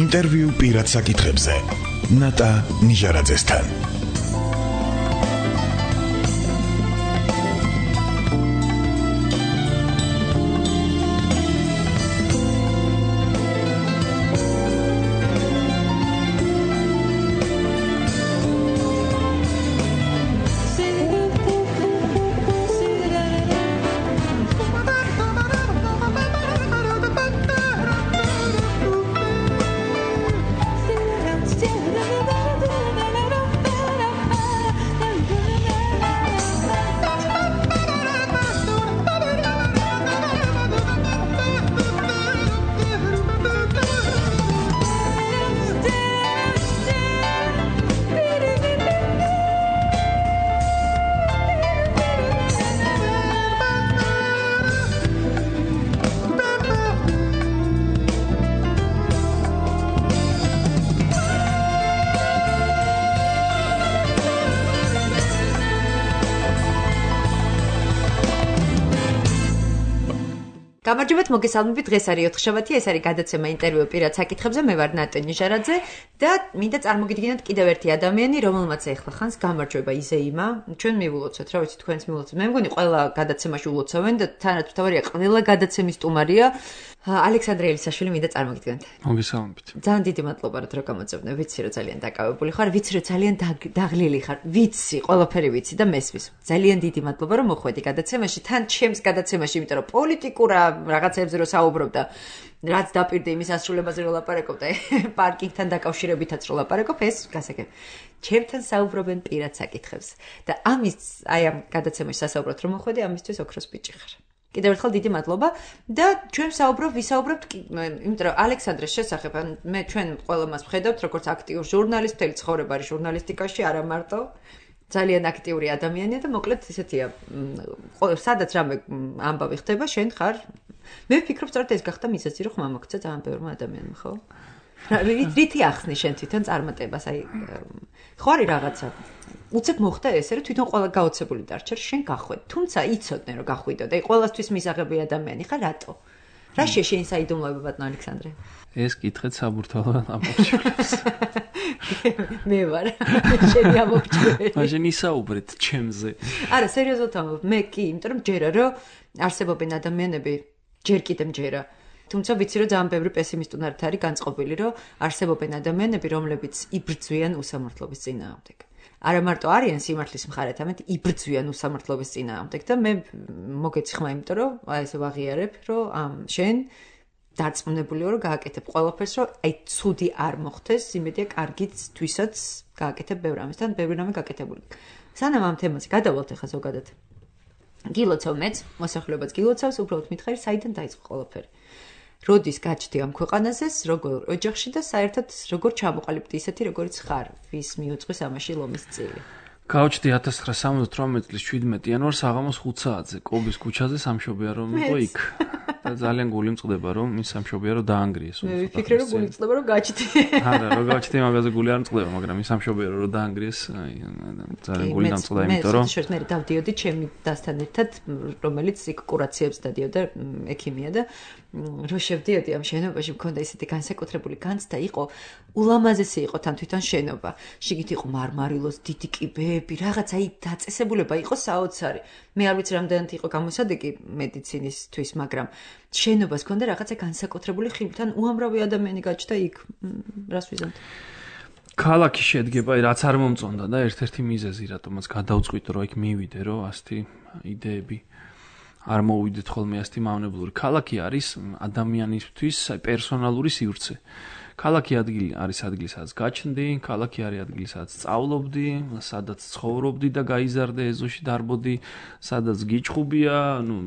ინტერვიუ პირად საკითხებზე ნატა ნიჟარაძესთან. გამარჯობათ, მოგესალმებით. დღეს არის 4 შაბათი, ეს არის გადაცემა ინტერვიუ პირად საკითხებზე. მე ვარ ნატა ნიჟარაძე და მინდა წარმოგიდგინოთ კიდევ ერთი ადამიანი, რომელმაც ეხლა ხანს გამარჯვება იზეიმა. ჩვენ მივულოცოთ, რა ვიცი, თქვენც მივულოცოთ. მე მგონი ყველა გადაცემაში ულოცავენ და თანათავარია ყველა გადაცემის სტუმარია. ალექსანდრე ელისაშვილი მინდა წარმოგიდგინოთ. მოგესალმებით. ძალიან დიდი მადლობა, რომ გამოწევდე. ვიცი, რომ ძალიან დაკავებული ხარ, ვიცი, რომ ძალიან დაღლილი ხარ. ვიცი, ყველაფერი ვიცი და მესმის. ძალიან დიდი მადლობა, რომ მოხვედი გადაცემაში. თან ჩემს გადაცემაში, იმიტომ რომ პოლიტიკურა რაღაცებზე რო საუბრობ და რაც დაპირდა იმის ასრულებაზე რო ლაპარაკობ და პარკინგთან დაკავშირებითაც რო ლაპარაკობ, ეს გასაგებ. ჩემთან საუბრობენ პირად საკითხებზე. და ამის აი ამ გადაცემაში სასაუბროთ რომ მოხვედი, ამისთვის ოქროს ბიჭი ხარ. კიდევ ერთხელ დიდი მადლობა და ჩვენ ვისაუბრობთ, იმიტომ რომ ალექსანდრეს შესახებ, მე ჩვენ ყველა მას ვხედავთ როგორც აქტიურ ჟურნალისტს, მთელი ცხოვრება არის ჟურნალისტიკაში, არა მარტო. ძალიან აქტიური ადამიანია და მოკლედ ისეთია, სადაც რამე ამბავი ხდება, შენ ხარ. მე ვფიქრობ, სწორედ ეს გახდა მიზეზი, რომ ხმა მოგცა ძალიან ბევრმა ადამიანმა, ხო? რითი ახსნი შენ თვითონ წარმატებას, აი ხო არის რაღაცა. უცებ მოხდა ესე, რომ თვითონ ყველა გაოცებული დარჩა, შენ გახვედი. თუმცა იცოდნენ, რომ გახვიდო და ყველასთვის მისაღები ადამიანი ხარ, რატო? რა შენ საიდუმლოება ბატონ ალექსანდრე? ეს კითხეთ საბურთალო ამბობს. მე ვარ. შენი ამბობჭველი. მაშინ ისაუბრეთ ჩემზე. არა, სერიოზულად ამბობ. მე კი, იმიტომ რომ ჯერა რომ არსებობენ ადამიანები, ჯერ კიდევ ჯერა. თუმცა ვიცი რომ ძალიან ბევრი პესიმისტუნარით არის განწყობილი, რომ არსებობენ ადამიანები, რომლებიც იბრძვიან უსამართლობის წინააღმდეგ. არა მარტო არიან სიმართლის მხარეთ, ამით იბრძვიან უსამართლობის წინააღმდეგ და მე მოგეციხმა, იმიტომ რომ აი ესე ვაღიარებ, რომ შენ დარწმუნებულიო რომ გააკეთებ ყველაფერს, რომ აი ცუდი არ მოხდეს, იმედია კარგიც თვისაც გააკეთებ ბევრ ამისთან, ბევრი რამე გაკეთებული. სანამ ამ თემაზე გადავალთ ახლა ზოგადად. გილოცავ მეც, მოსახლეობაც გილოცავს, უბრალოდ მითხარი, საიდან დაიწყო ყველაფერი. როდის გაჩდი ამ ქვეყანაზე, როგორ ოჯახში და საერთოდ როგორ ჩამოყალიბდი ისეთი, როგორიც ხარ, ვის მიუძღვის ამაში ლომის წილი. გავჩდი 1978 წლის 17 იანვარს საღამოს 5 საათზე კობის ქუჩაზე სამშობია რომ იყო იქ. და ძალიან გული მწყდება რომ ის სამშობია რომ დაანგრიეს. მე ვიფიქრე რომ გული მწყდება რომ გაჩდი. არა, რომ გაჩდი მაგაზე გული არ მწყდება, მაგრამ ის სამშობია რომ დაანგრიეს, აი ძალიან გული დამწყდა, იმიტომ რომ მე დავდიოდი ჩემი დასთან ერთად, რომელიც იქ კურაციებს დადიოდა ექიმია და რო შევდიოდი ამ შენობაში, მქონდა ისეთი განსაკუთრებული განცდა, იყო ულამაზესი იყო თან თვითონ შენობა. შიგით იყო მარმარილოს დიდი კიბეები, რაღაც აი დაწესებულება იყო საოცარი. მე არ ვიცი რამდენად იყო გამოსადეგი მედიცინისთვის, მაგრამ შენობას ჰქონდა რაღაცა განსაკუთრებული ხილთან უამრავი ადამიანი გაჩნდა იქ. რას ვიზამთ? ქალაქი შედგება, რაც არ მომწონდა და ერთ-ერთი მიზეზი, რატომაც გადავწყვიტე რომ იქ მივიდე, რომ ასეთი იდეები არ მოვიდეთ ხოლმე ასეთი მავნებლური. ქალაქი არის ადამიანისთვის პერსონალური სივრცე. ქალაქი არის ადგილი, სადაც გაჩნდი, ქალაქი არის ადგილი, სადაც სწავლობდი, სადაც ცხოვრობდი და გაიზარდე ეზოში დარბოდი, სადაც გიჩხუბია,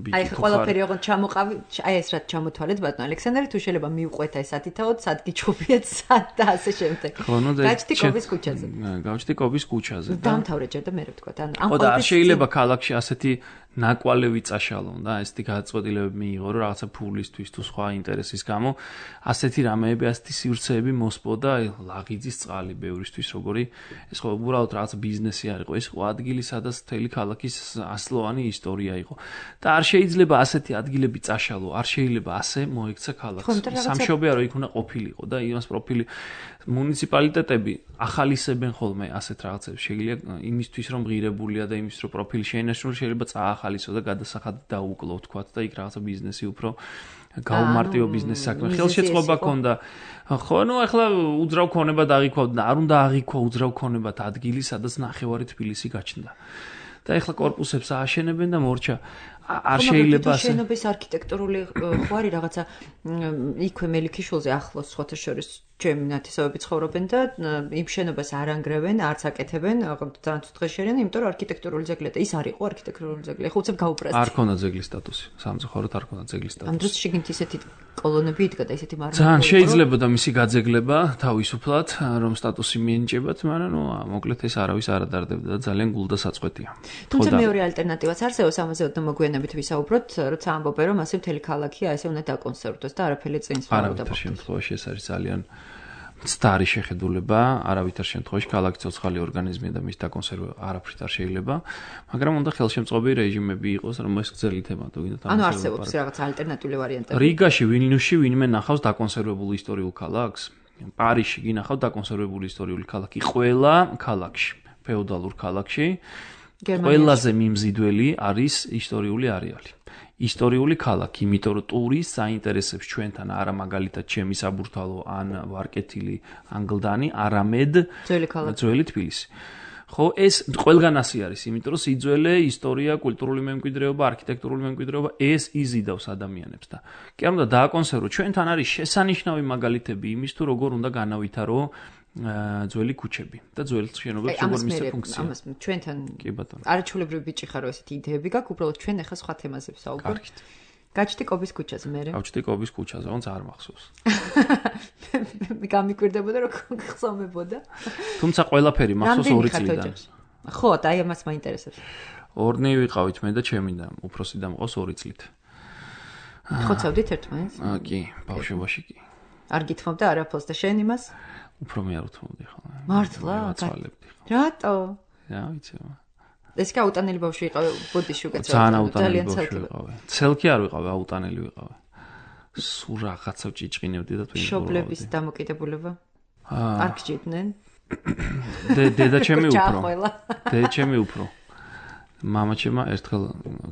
ბიჭი. აი ყველაფერი ოღონდ ჩამოყავი, აი ეს რა ჩამოთვალეთ ბატონ ალექსანდრე, თუ შეიძლება მივყვეთ ეს ათითაოდ, სად გიჩხუბიეთ, სად და ასე შემდეგ. გაჩდი კობის ქუჩაზე. გავჩდი კობის ქუჩაზე. დამთავრე ჯერ და მე რა ვთქვა. ან ამ ყოველ შეიძლება ქალაქში ასეთი ნაკვალევი წაშალო და ესეთი გადაწყვეტილებები მიიღო, რომ რაღაცა ფულისთვის თუ სხვა ინტერესის გამო ასეთი რამეები, ასეთი სივრცეები მოსპოდა ლაღიძის წყალი ბევრისთვის, როგორი ეს ხო უბრალოდ რაღაცა ბიზნესი არ იყო, ეს ხო ადგილი, სადაც მთელი ქალაქის ასლოვანი ისტორია იყო. და არ შეიძლება ასეთი ადგილები წაშალო, არ შეიძლება ასე მოექცა ქალაქს. სამშობია რომ იქ უნდა ყოფილიყო და იმას პროფილი მუნიციპალიტეტები ახალისებენ ხოლმე ასეთ რაღაცებს. შეიძლება იმისთვის რომ ღირებულია და იმისთვის რომ პროფილი შეინარჩუნოს, შეიძლება წაახალისო და გადასახადად დაუკლო თქვათ და იქ რაღაცა ბიზნესი უფრო გაუმარტივო ბიზნესი საქმე ხელშეწყობა ქონდა. ხო, ნუ ახლა უძრავ ქონება დაღიქვავდა და არ უნდა აღიქვა უძრავ ქონებად ადგილი, სადაც ნახევარი თბილისი გაჩნდა. და ახლა კორპუსებს ააშენებენ და მორჩა არ შეიძლება ასე შენობის არქიტექტურული ხო არის რაღაცა იქვე მელიქიშვილზე ახლოს სხვათა შორის ჩემი ნათესავები ცხოვრობენ და იმ შენობას არ ანგრევენ, არც აკეთებენ, ძალიან დღეს შერენ, იმიტომ რომ არქიტექტურული ძეგლია და ის არ იყო არქიტექტურული ძეგლი. ხო უცებ გაუპრასტი. არ ქონდა ძეგლის სტატუსი, სამწუხაროდ არ ქონდა ძეგლის სტატუსი. ამ დროს შიგნით ისეთი კოლონები იდგა და ისეთი მარმა. ძალიან შეიძლება და მისი გაძეგლება თავისუფლად რომ სტატუსი მიენიჭებათ, მაგრამ ნუ მოკლედ ეს არავის არ ადარდებდა და ძალიან გულდასაწყვეტია. თუმცა მეორე ალტერნატივაც არსებობს, ამაზე ოდნავ მოგვიანებით ვისაუბროთ, როცა ამბობენ რომ ასე მთელი ქალაქია ესე უნდა დაკონსერვდეს და არაფერი წინს არ დაუდგა. შემთხვევაში ეს არის ძალიან მცდარი შეხედულება, არავითარ შემთხვევაში ქალაქი ცოცხალი ორგანიზმია და მის დაკონსერვა არაფრით არ შეიძლება, მაგრამ უნდა ხელშემწყობი რეჟიმები იყოს, რომ ეს გრძელი თემა თუ გინდათ ანუ არსებობს რაღაც ალტერნატიული ვარიანტები. რიგაში, ვილნიუსში ვინმე ნახავს დაკონსერვებულ ისტორიულ ქალაქს? პარიზში გინახავთ დაკონსერვებული ისტორიული ქალაქი ყველა ქალაქში, ფეოდალურ ქალაქში. ყველაზე მიმზიდველი არის ისტორიული არეალი. ისტორიული ქალაქი, იმიტომ რომ ტურის საინტერესებს ჩვენთან არა მაგალითად ჩემი საბურთალო ან ვარკეთილი ანგლდანი, არამედ ძველი თბილისი. ხო, ეს ყველგან ასე არის, იმიტომ რომ სიძველე, ისტორია, კულტურული მემკვიდრეობა, არქიტექტურული მემკვიდრეობა ეს იზიდავს ადამიანებს და კი არ უნდა დააკონსერვო. ჩვენთან არის შესანიშნავი მაგალითები იმის თუ როგორ უნდა განავითარო ძველი ქუჩები და ძველი შენობებს როგორ მისცა ფუნქცია. ამას ჩვენთან არაჩვეულებრივი ბიჭი ხარო ესეთი იდეები გაქვს, უბრალოდ ჩვენ ახლა სხვა თემაზე ვსაუბრობთ. გაჩდი კობის ქუჩაზე მე. გავჩდი კობის ქუჩაზე, ոնց არ მახსოვს. გამიკვირდებოდა რომ ხსომებოდა. თუმცა ყველაფერი მახსოვს 2 წლიდან. ხო, და აი ამას მაინტერესებს. ორნი ვიყავით მე და ჩემი და უფროსი და მყავს 2 წლით. ხოცავდით ერთმანეთს? კი, ბავშვობაში კი. არ გითხოვდა არაფერს და შენ იმას? უფრო მე არ უთმობდი ხოლმე. მართლა? რატო? რა ვიცი. ეს კი აუტანელი ბავშვი იყავი, ბოდიში უკეთ ძალიან ბავშვი ვიყავი. ცელკი არ ვიყავი, აუტანელი ვიყავი. სულ რაღაცა ჭიჭყინებდი და თუ შობლების დამოკიდებულება. არ გჭირდნენ? დედა ჩემი უფრო. დედა ჩემი უფრო. მამაჩემა ერთხელ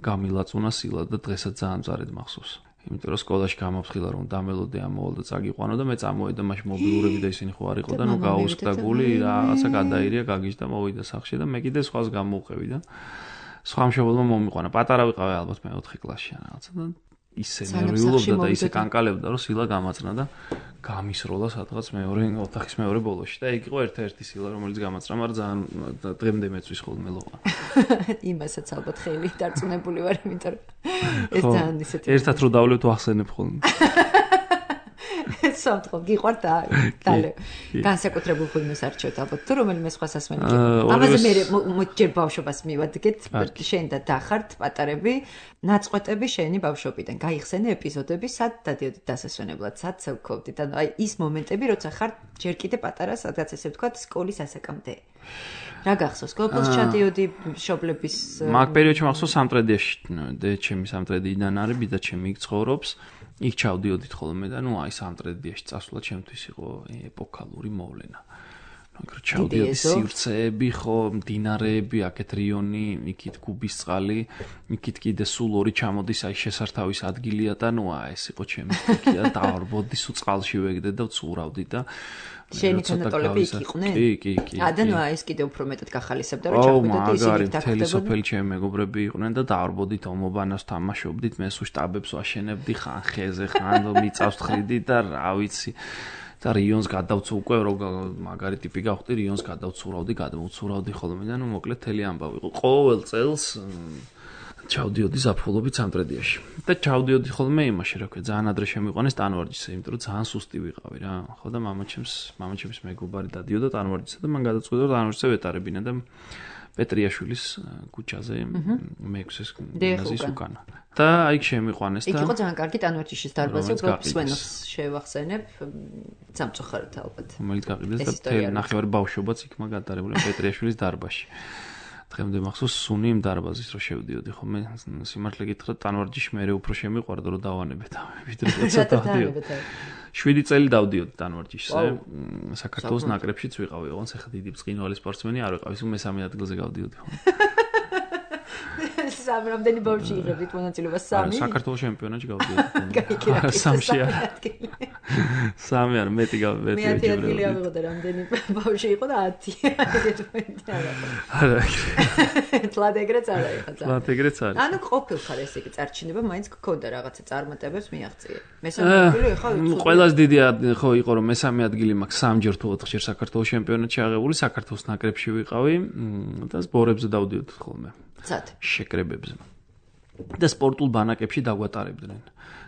გამილაწუნა სილა და დღესაც ძალიან მწარედ მახსოვს. იმიტომ რომ სკოლაში გამოფხილა რომ დამელოდე ამოვალ და წაგიყვანო და მე წამოვედა მაშინ მობილურები და ისინი ხო არ იყო და ნუ გაუსკდა გული რაღაცა გადაირია გაგიჟდა მოვიდა სახლში და მე კიდე სხვას გამოვყევი და სხვა მშობელმა მომიყვანა პატარა ვიყავი ალბათ მე 4 კლასში ან რაღაცა და ისე ნერვიულობდა და ისე კანკალებდა რომ სილა გამაწნა და გამისროლა სადღაც მეორე ოთახის მეორე ბოლოში და ეგ იყო ერთ-ერთი სილა რომელიც გამაწნა მაგრამ ძალიან დღემდე მეწვის ხოლმე ლოყა იმასაც ალბათ ხელი დარწმუნებული ვარ იმიტომ რომ ეს ძალიან ისეთი ერთად რო დავლევთ ვახსენებ ხოლმე სამთხო გიყვართ და დალე განსაკუთრებულ ფილმს არჩევთ ალბათ თუ რომელიმე სხვა სასმელი ამაზე მე მოჯერ ბავშვობას მივადგეთ შენ და დახართ პატარები ნაწყვეტები შენი ბავშვობიდან გაიხსენე ეპიზოდები სად დადიოდით დასასვენებლად სად ცევქოვდით ანუ აი ის მომენტები როცა ხარ ჯერ კიდე პატარა სადღაც ესე ვთქვათ სკოლის ასაკამდე რა გახსოვს კოპლს ჩადიოდი მშობლების მაგ პერიოდში მახსოვს სამტრედიაში და ჩემი სამტრედიდან არის ბიძა ჩემი იქ ცხოვრობს იქ ჩავდიოდით ხოლმე და ნუ აი სამტრედიაში წასვლა ჩემთვის იყო ეპოქალური მოვლენა. მაგრამ ჩავდიოდი სივრცეები ხო, მდინარეები, აქეთ რიონი, იქით გუბისწყალი, იქით კიდე სულ ორი ჩამოდის აი შესართავის ადგილია და ნუ აი ეს იყო ჩემი სტიქია, დავარბოდი სულ წყალში ვეგდე და ვცურავდი და შენი თანატოლები იქ იყვნენ? კი. და ნუ აი ეს კიდე უფრო მეტად გახალისებდა რომ ჩახვიდეთ ისინი თაკდებოდნენ. თელი სოფელი ჩემი მეგობრები იყვნენ და დავარბოდით ომობანას თამაშობდით, მე სულ შტაბებს ვაშენებდი ხან ხეზე, ხან მიწავს თხრიდი და რა ვიცი და რიონს გადავცუ უკვე რომ მაგარი ტიპი გავხდი რიონს გადავცურავდი, გადმოვცურავდი ხოლმე და ნუ მოკლედ თელი ამბავი იყო. ყოველ წელს ჩავდიოდი ზაფხულობით სამტრედიაში. და ჩავდიოდი ხოლმე იმაში, რა ქვია, ძალიან ადრე შემიყვანეს ტანვარჯიშზე, იმიტომ რომ ძალიან სუსტი ვიყავი რა. ხო და მამაჩემს მეგობარი დადიოდა ტანვარჯიშზე და მან გადაწყვიტა რომ ტანვარჯიშზე ვეტარებინა და პეტრიაშვილის ქუჩაზე მე-6-ეს გიმნაზიის უკანა. და აი შემიყვანეს და იქ იყო ძალიან კარგი ტანვარჯიშის დარბაზი, უბრალოდ სვენოს შევახსენებ, სამწუხაროდ ალბათ. რომელიც გაყიდეს და მთელი ნახევარი ბავშვობაც იქმა გადარებული პეტრიაშვილის დარბაზში. დღემდე მახსოვს სუნი იმ დარბაზის რო შევდიოდი ხოლმე სიმართლე გითხრათ ტანვარჯიში მე უფრო შემიყვარდა რომ დავანებეთ ვიდრე როცა დავდიოდი 7 წელი დავდიოდი ტანვარჯიშზე საქართველოს ნაკრებშიც ვიყავი ოღონდ ახლა დიდი ბრწყინვალე სპორტსმენი არ ვიყავი სულ მესამე ადგილზე გავდიოდი ხოლმე სამი რამდენი ბავშვი იღებდით მონაწილეობას სამი საქართველოს ჩემპიონატში გავდიოდი სამში სამი არ მეტი გავდიოდი მე 10 ადგილი ავიღო და რამდენი ბავშვი იყო და 10 არა თლად ეგრეც არა ეხლა თლად ეგრეც არის ანუ ყოფილხარ ესე იგი წარჩინება მაინც გქონდა რაღაცა წარმატებებს მიაღწიე მესამე ადგილი ეხლა ყველაზე დიდი ხო იყო რომ მესამე ადგილი მაქვს 3 ჯერ თუ 4 ჯერ საქართველოს ჩემპიონატში აღებული საქართველოს ნაკრებში ვიყავი და სპორებზე დავდიოდი ხოლმე შეკრებებზე და სპორტულ ბანაკებში დაგვატარებდნენ.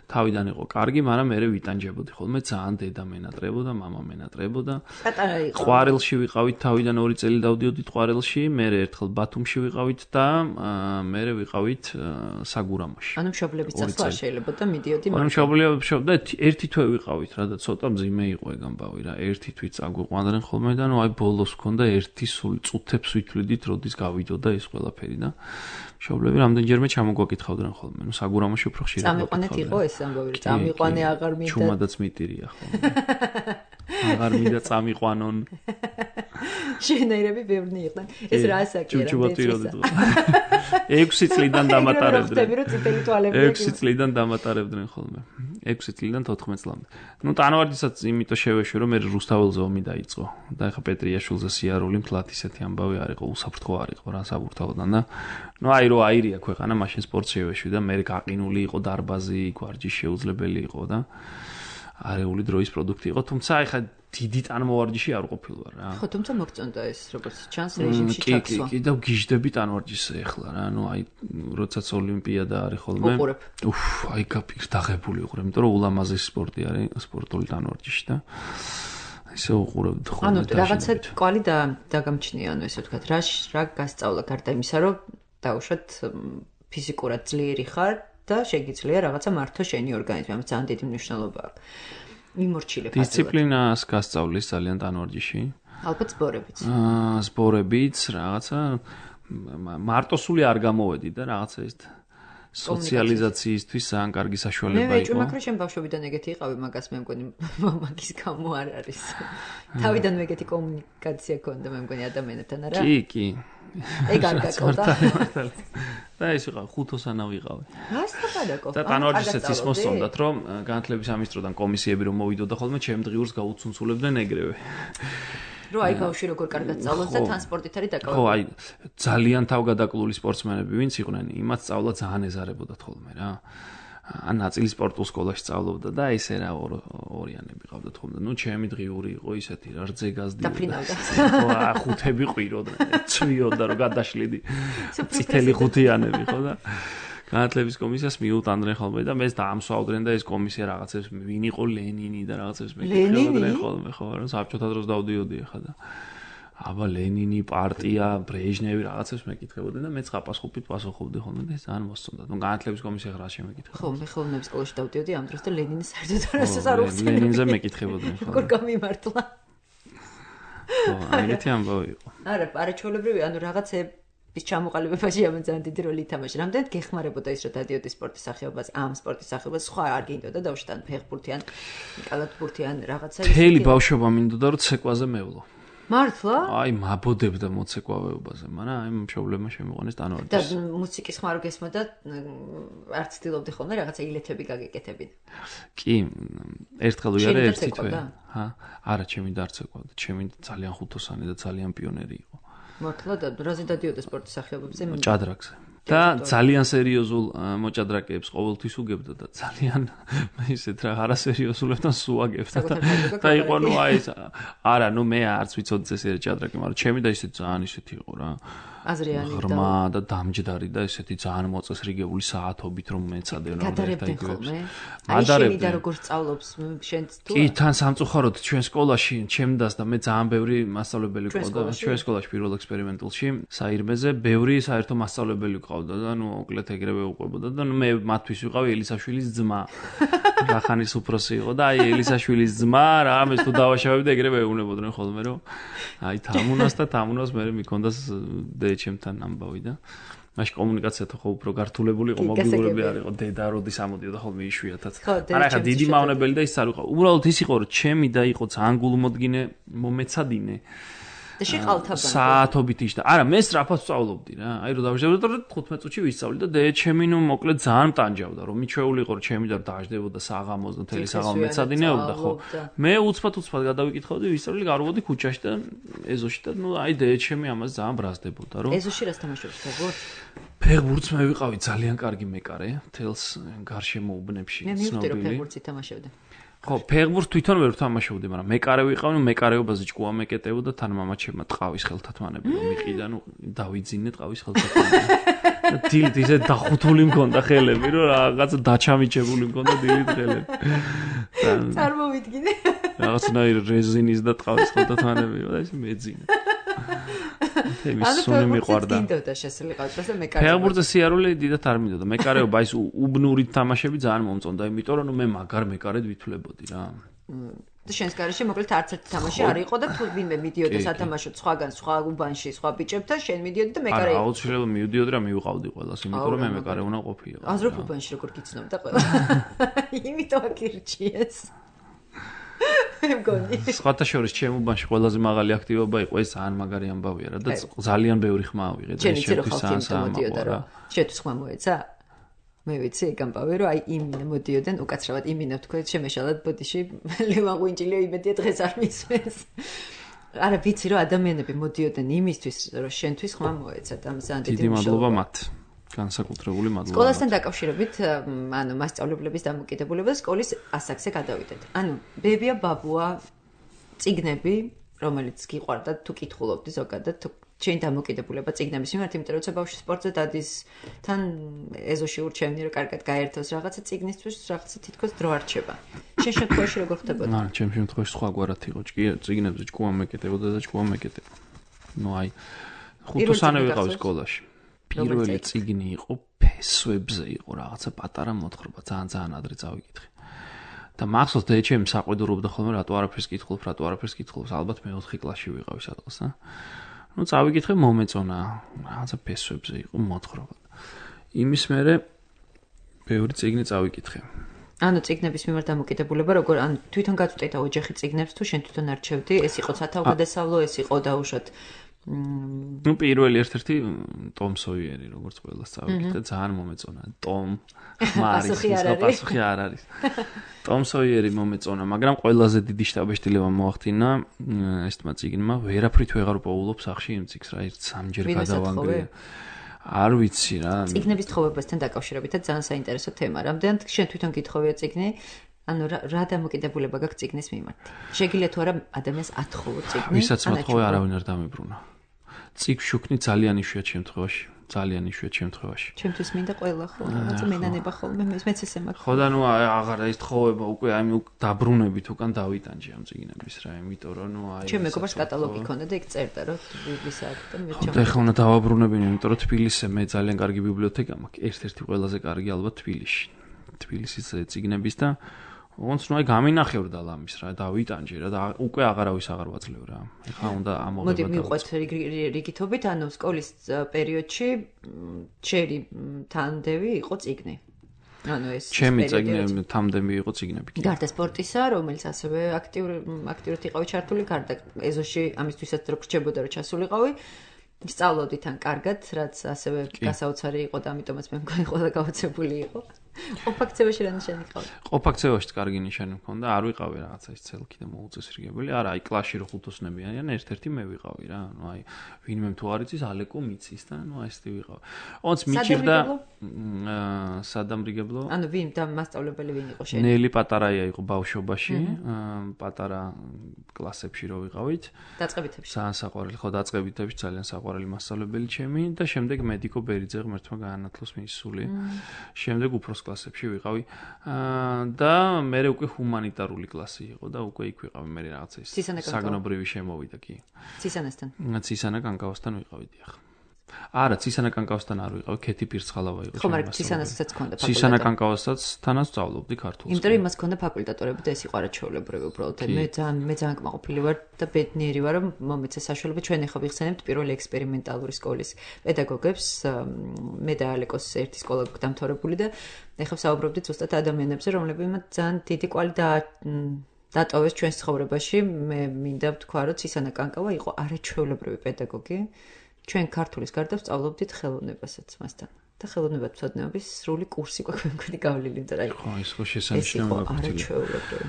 თავიდან იყო კარგი, მაგრამ მე ვიტანჯებოდი ხოლმე ძალიან დედა მენატრებოდა, მამა მენატრებოდა. ყვარელში ვიყავით თავიდან 2 წელი დავდიოდით ყვარელში, მე ერთხელ ბათუმში ვიყავით და მე ვიყავით საგურამოში. ანუ მშობლების წასვლა შეიძლება და მიდიოდი მაგრამ მშობლები და ერთი თვე ვიყავით რა და ცოტა მძიმე იყო ეგ ამბავი რა. ერთი თვით წაგვიყვანდნენ ხოლმე და ნუ აი ბოლოს მქონდა ერთი სული წუთებს ვითვლიდით, როდის გავიდოდა ეს ყველაფერი და მშობლები რამდენჯერმე ჩამოგვაკითხავდნენ ხოლმე. ნუ საგურამოში უფრო ხშირად წამიყვანეთ იყო ეს ამბავი, რომ წამიყვანე აღარ მინდა. ჩუმადაც მიტირია ხოლმე. აღარ მინდა წამიყვანონ. შენაირები ბევრნი იყვნენ. ეს რა საკია? ჩუმჩუბატიროდი. 6 წლიდან დამატარებდნენ. 6 წლიდან დამატარებდნენ ხოლმე. 6 წლიდან 14 წლამდე. ნუ ტანვარჯიშსაც იმიტომ შევეშვი, რომ მე რუსთაველზე ომი დაიწყო. და ეხა პეტრიაშვილზე სიარული მთლად ისეთი ამბავი არ იყო, უსაფრთხო არ იყო რა საბურთალოდან და ნუ აი რო აირია ქვეყანა, მაშინ სპორტს შევეშვი და მე გაყინული იყო დარბაზი, ვარჯიში შეუძლებელი იყო და არეული დროის პროდუქტი იყო, თუმცა ეხა დიდი ტანმოვარჯიში არ ყოფილვარ რა. ხო, თუმცა მოგწონდა ეს როგორც ჩანს რეჟიმში ჩაქსვა. კი, და გიჟდები ტანვარჯიშზე ეხლა რა, ნუ აი როდესაც ოლიმპიადა არის ხოლმე. უფ, აი გაფიქრდაღებული ვიყრე, იმიტომ რომ ულამაზესი სპორტი არის, სპორტული ტანვარჯიში და ისე უყურებთ ხოლმე. ანუ რაღაცა კვალი დაგამჩნია, ანუ ესე ვთქვათ, რა გასწავლა გარდა იმისა, რომ დაუშვათ ფიზიკურად ძლიერი ხარ და შეგიძლია რაღაცა მართო შენი ორგანიზმი, ამას ძალიან დიდი მნიშვნელობა აქვს. მიმორჩილებ ასე. დისციპლინას გასწავლის ძალიან ტანვარჯიში. ალბათ სპორებიც. სპორებიც რაღაცა მარტოსული არ გამოვედი და რაღაცა ის სოციალიზაციისთვის ძალიან კარგი საშუალება იყო. მე ვეჭვი მაგრამ შენ ბავშვობიდან ეგეთი იყავი, მაგას მე მგონი მაგის გამო არ არის. თავიდან ეგეთი კომუნიკაცია ქონდა მე მგონი ადამიანებთან არა? კი. ეგ არ გაკოთა. და ის ვიყავ ხუთოსანა ვიყავი. გასაგებია. და ტანვარჯიშიც ის მოსწონდათ, რომ განათლების სამინისტროდან კომისიები რომ მოვიდოდა ხოლმე, ჩემ დღიურს გაუცუნცულებდნენ ეგრევე. რო აი ბავშვი როგორ კარგად სწავლობს და ტრანსპორტით არის დაკავებული. ხო, აი ძალიან თავგადაკლული სპორტსმენები ვინც იყვნენ, იმათ სწავლა ძალიან ეზარებოდათ ხოლმე რა. ან ნაწილი სპორტულ სკოლაში სწავლობდა და ესე რა ორიანები ყავდათ ხოლმე. ნუ ჩემი დღიური იყო ისეთი რა რძე გაზდიოდა. დაფრინავდა. ხო, ხუთები ყვიროდნენ, ცვიოდა რომ გადაშლიდი. წითელი ხუთიანები ხო და განათლების კომისიას მიუტანდნენ ხოლმე და მეც დაამსვავდნენ და ეს კომისია რაღაცებს ვინ იყო ლენინი და რაღაცებს მეკითხავდნენ ხოლმე ხო რა საბჭოთა დროს დავდიოდი ახლა და აბა ლენინი პარტია ბრეჟნევი რაღაცებს მეკითხებოდნენ და მეც ხაპასხუპით პასუხობდი ხოლმე და ძალიან მოსწონდა. ნუ განათლების კომისია რა შემეკითხა. ხო, მე ხელოვნების სკოლაში დავდიოდი ამ დროს და ლენინის საერთოდ არ უხსენე. ლენინზე მეკითხებოდნენ ხოლმე. როგორ გამიმართლა. ხო, ეგეთი ამბავი იყო. არა ჩვეულებრივი, ანუ რაღაცების ჩამოყალიბებაში ამ ძალიან დიდი როლი ითამაშა. რამდენად გეხმარებოდა ის, რომ დადიოდი სპორტის სახეობას, ამ სპორტის სახეობას სხვა არ გინდოდა დავშტან ფეხბურთიან, კალათბურთიან რაღაცა ისეთი. მთელი ბავშვობა მინდოდა რომ ცეკვაზე მევლო. მართლა? აი მაბოდებდა მოცეკვავეობაზე, მაგრამ აი მშობლებმა შემიყვანეს ტანვარჯიშს. და მუსიკის ხმარო გესმოდა, არ ცდილობდი ხოლმე რაღაცა ილეთები გაგეკეთებინა. კი, ერთხელ ვიარე ერთი თვე. არა, ჩემი დარცეკვავდა, ჩემი ძალიან ხუთოსანი და ძალიან პიონერი იყო. მართლა და რაზე დადიოდა სპორტის სახეობებზე? ჭადრაკზე. და ძალიან სერიოზულ მოჭადრაკეებს ყოველთვის უგებდა და ძალიან ისეთ რა არასერიოზულებთან სუაგებდა და იყო ნუ აი არა ნუ მე არც ვიცოდი ეს ჭადრაკი მაგრამ ჩემი და ისეთ ძალიან ისეთი იყო რა აზრიანი ღრმა და დამჯდარი და ესეთი ძალიან მოწესრიგებული საათობით რომ მეცადე რა გადარებდნენ ხოლმე აი შენი და როგორ სწავლობს შენ თუ კი თან სამწუხაროდ ჩვენ სკოლაში ჩემდას და მე ძალიან ბევრი მასწავლებელი ყავდა ჩვენ სკოლაში პირველ ექსპერიმენტულში საირმეზე ბევრი საერთო მასწავლებელი ყავდა და ნუ მოკლედ ეგრევე უყვებოდა და ნუ მე მათთვის ვიყავი ელისაშვილის ძმა რახანის უფროსი იყო და აი ელისაშვილის ძმა რა ამას თუ დავაშავებდი ეგრევე ეუნებოდნენ ხოლმე რომ აი თამუნას მე მიქონდას ჩემთან ამბავი და მაშინ კომუნიკაცია თქო უფრო გართულებული იყო მობილურები არ იყო დედა როდის ამოდიოდა ხოლმე იშვიათად არა ხა დიდი მავნებელი და ის არ იყო უბრალოდ ის იყო რომ ჩემი და იყო ძალიან გულმოდგინე მომეცადინე და შეყავთაბა საათობით იშდა არა მე სწრაფად ვსწავლობდი რა აი რომ დავშევდე და 15 წუთში ვისწავლი და ჩემი ნუ მოკლედ ძალიან მტანჯავდა რომ მიჩვეული იყო რომ ჩემი და დაждდებოდა საღამოს და თელი საღამო მეცადინეობდა ხო მე უცბად გადავიკითხავდი ვისწავლი გაროვოდი ქუჩაში და ეზოში და ნუ აი ჩემი ამას ძალიან ბრაზდებოდა რომ ეზოში რას თამაშობს ფეხბურთს ფეხბურთს მე ვიყავი ძალიან კარგი მეკარე თელს გარშემო უბნებში ცნობილი მე მივხვდი რომ ფეხბურთს ითამაშებდი ხო ფეხბურთს თვითონ ვერ ვთამაშობდი მაგრამ მეკარე ვიყავი მეკარეობაზე ჭკუა მეკეტეო და თან მამაჩემმა ტყავის ხელთათმანები რომ მიყიდა ნუ დავიძინე ტყავის ხელთათმანები დილით ისე დახუთული მქონდა ხელები რომ რაღაცა დაჩამიჩებული მქონდა დილით ხელები წარმოვიდგინე რაღაცნაირ რეზინის და ტყავის ხელთათმანები და ისე მეძინა ანუ მიყვარდა. მინდოდა შესაძლებლად და მეკარეობა. ფეხბურთზე სიარული დიდად არ მინდოდა. მეკარეობა ის უბნური თამაშები ძალიან მომწონდა, იმიტომ რომ მე მაგარ მეკარედ ვითვლებოდი რა. და შენს გარშე მოკლედ არც ერთი თამაში არ იყო და თუ ვინმე მიდიოდა სათამაშოდ სხვაგან სხვა უბანში სხვა ბიჭებთან შენ მიდიოდი და მეკარე იყო. არა, აუცილებლად მივდიოდი რა მივყავდი ყველას, იმიტომ რომ მე მეკარე უნდა ყოფილიყო. აზრობ უბანში როგორ გიცნობდა ყველა. იმიტომ აქირჩიეს. სხვათა შორის ჩემ უბანში ყველაზე მაღალი აქტივობა იყო ეს ძალიან მაგარი ამბავია რა და ძალიან ბევრი ხმა ავიღე და შეთვის სამოდიოდა რა შეთვის ხმა მოეცა მე ვიცი ეგ ამბავი რომ აი იმინა მოდიოდნენ უკაცრავად იმინა თქვა შემეშალად ბოდიში ლევან ღვინჭილიო იმედია დღეს არ მისვენს არა ვიცი რომ ადამიანები მოდიოდნენ იმისთვის რომ შენთვის ხმა მოეცა და ძალიან დიდი მადლობა მათ განსაკუთრებული მადლობა. სკოლასთან დაკავშირებით, ანუ მასწავლებლების დამოკიდებულება სკოლის ასაკზე გადავიდეთ. ანუ ბებია ბაბუა წიგნები, რომელიც გიყვარდა თუ კითხულობდი ზოგადად, თუ შენ დამოკიდებულება წიგნების მიმართ, იმიტომ რომ ბავშვი სპორტზე დადის, თან ეზოში ურჩევნი რომ კარგად გაერთოს რაღაცა წიგნისთვის, რაღაცა თითქოს დრო არ რჩება. შენ შემთხვევაში როგორ ხდებოდა? არა, ჩემ შემთხვევაში სხვაგვარად იყო. წიგნებზე ჭკუა მეკეტებოდა და ჭკუა მეკეტება. ნუ აი ხუთოსანი ვიყავ სკოლაში. პირველი წიგნი იყო ფესვებზე იყო რაღაცა პატარა მოთხრობა ძალიან ადრე წავიკითხე და მახსოვს დეჩემ საყვედურობდა ხოლმე რატო არაფერს კითხულობს ალბათ მე 4 კლასში ვიყავი სადღაც და ნუ წავიკითხე მომეწონა რაღაცა ფესვებზე იყო მოთხრობა იმის მერე ბევრი წიგნი წავიკითხე ანუ წიგნების მიმართ დამოკიდებულება როგორ ან თვითონ გაწვდიდა ოჯახი წიგნებს თუ შენ თვითონ არჩევდი ეს იყო სათავგადასავლო ეს იყო დაუშვათ ნუ პირველი ერთ-ერთი ტომ სოიერი როგორც ყველას წავიკითხე ძალიან მომეწონა ტომ პასუხი არ არის ტომ სოიერი მომეწონა მაგრამ ყველაზე დიდი შტაბეშტილება მოახდინა ესმა წიგნმა ვერაფრით ვეღარ პოულობ სახში იმ წიგს რა ერთ სამჯერ გადავანგრე არ ვიცი რა წიგნების თხოვებასთან დაკავშირებით ძალიან საინტერესო თემა რამდენად შენ თვითონ გითხოვია წიგნი ანუ რა დამოკიდებულება გაქვს წიგნის მიმართ შეგიძლია თუ არა ადამიანს ათხოვო წიგნი ვისაც მოთხოვე არავინ არ დამიბრუნა წიგნ შუქნი ძალიან იშვიათ შემთხვევაში ჩემთვის მინდა ყველა ხო რაღაცა მენანება ხოლმე მეც ესე მაქვს ხო და ნუ აღარა ის თხოვება უკვე აი დაბრუნებით უკან დავიტანჯე ამ წიგნების რა იმიტომ რომ ნუ აი ჩემ მეგობარს კატალოგი ქონდა და იქ წერდა რომ თბილისსა და მე და ეხლა უნდა დავაბრუნებინე იმიტომ რომ თბილისზე მე ძალიან კარგი ბიბლიოთეკა მაქვს ერთ-ერთი ყველაზე კარგი ალბათ თბილისის წიგნების და ոնც ნუ აი გამინახევრდა ლამის რა დავიტანჯე რა და უკვე აღარავის აღარ ვაძლევ რა ეხლა უნდა ამოღება მოდი მიყვეთ რიგითობით ანუ სკოლის პერიოდში ჩერი თანდევი იყო წიგნი ანუ ეს ჩემი წიგნი თამდემი იყო წიგნები გარდა სპორტისა რომელიც ასევე აქტიურად იყავი ჩართული გარდა ეზოში ამისთვისაც რო გრჩებოდა რომ ჩასულიყავი სწავლობდი თან კარგად რაც ასევე გასაოცარი იყო და ამიტომაც მე მგონი ყველა გაოცებული იყო ყოფაქცევაში რა ნიშანი ყავდა? ყოფაქცევაშიც კარგი ნიშანი მქონდა, არ ვიყავი რაღაცა ის ცელკი და მოუწესრიგებელი. არა, აი კლასში რო ხუთოსნები არიან, ერთ-ერთი მე ვიყავი რა. ანუ აი ვინმე თუ არ იცის, ალეკო მიცის და ანუ აი ესეთი ვიყავი. ოღონდ მიჭირდა სადამრიგებლო. ანუ ვინ და მასწავლებელი ვინ იყო შენ? ნელი პატარაია იყო ბავშვობაში, პატარა კლასებში რო ვიყავით. დაწყებითებში. ძალიან საყვარელი, ხო, დაწყებითებში ძალიან საყვარელი მასწავლებელი ჩემი და შემდეგ მედიკო ბერიძე ღმერთმა გაანათლოს მის სული. შემდეგ უფროს კლასებში ვიყავი და მე უკვე ჰუმანიტარული კლასი იყო და უკვე იქ ვიყავი მე რაღაცა ის საგნობრივი შემოვიდა კი. ცისანასთან. ცისანა კანკავასთან ვიყავი დიახ. არა, ცისანა კანკავასთან არ ვიყავი, ქეთი პირცხალავა იყო. ხო, მაგრამ ცისანასაც ჰქონდა ფაკულტეტი. ცისანა კანკავასაც თანაც ვსწავლობდი ქართულს. იმიტომ რომ იმას ჰქონდა ფაკულტატორები და ეს იყო არაჩვეულებრივი უბრალოდ. მე ძალიან კმაყოფილი ვარ და ბედნიერი ვარ, რომ მომეცა საშუალება ჩვენ ახლა ვიხსენებთ პირველი ექსპერიმენტალური სკოლის პედაგოგებს. მე და ალეკოს ერთი სკოლა დამთავრებული და ახლა ვსაუბრობდით ზუსტად ადამიანებზე, რომლებიც ძალიან დიდი კვალი დატოვეს ჩვენს ცხოვრებაში. მე მინდა ვთქვა, რომ ცისანა კანკავა იყო არაჩვეულებრივი პედაგოგი. ჩვენ ქართულის გარდა ვსწავლობდით ხელოვნებასაც მასთან. და ხელოვნებათმცოდნეობის სრული კურსი გვაქვს მქონი გავლილი, იმიტომ რომ ხო, ის ხო შესანიშნავია არაჩვეულებრივი.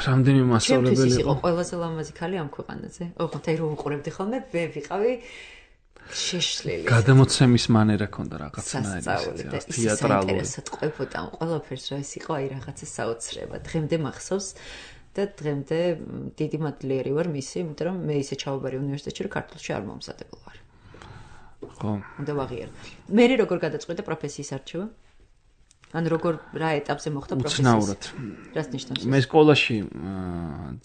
რამდენი მასწავლებელი იყო? იყო ყველაზე ლამაზი ქალი ამ ქვეყანაზე. ოღონდ აი რომ უყურებდი ხოლმე, მე ვიყავი შეშლილი. გადამოცემის მანერა ქონდა რაღაცნაირი თეატრალური. ისე ყვებოდა ყველაფერს რა ის იყო, აი რაღაცა საოცრება. დღემდე მახსოვს და დღემდე დიდი მადლიერი ვარ მისი, იმიტომ რომ მე ისე ჩავაბარე უნივერსიტეტში, რომ ქართულში არ მომზადებულ ვარ. ხო. უნდა ვაღიარო. მე როგორ გადაწყვეტე პროფესიის არჩევა? ან როგორ რა ეტაპზე მოხდა პროფესიის? უცნაურად. რას ნიშნავს? მე სკოლაში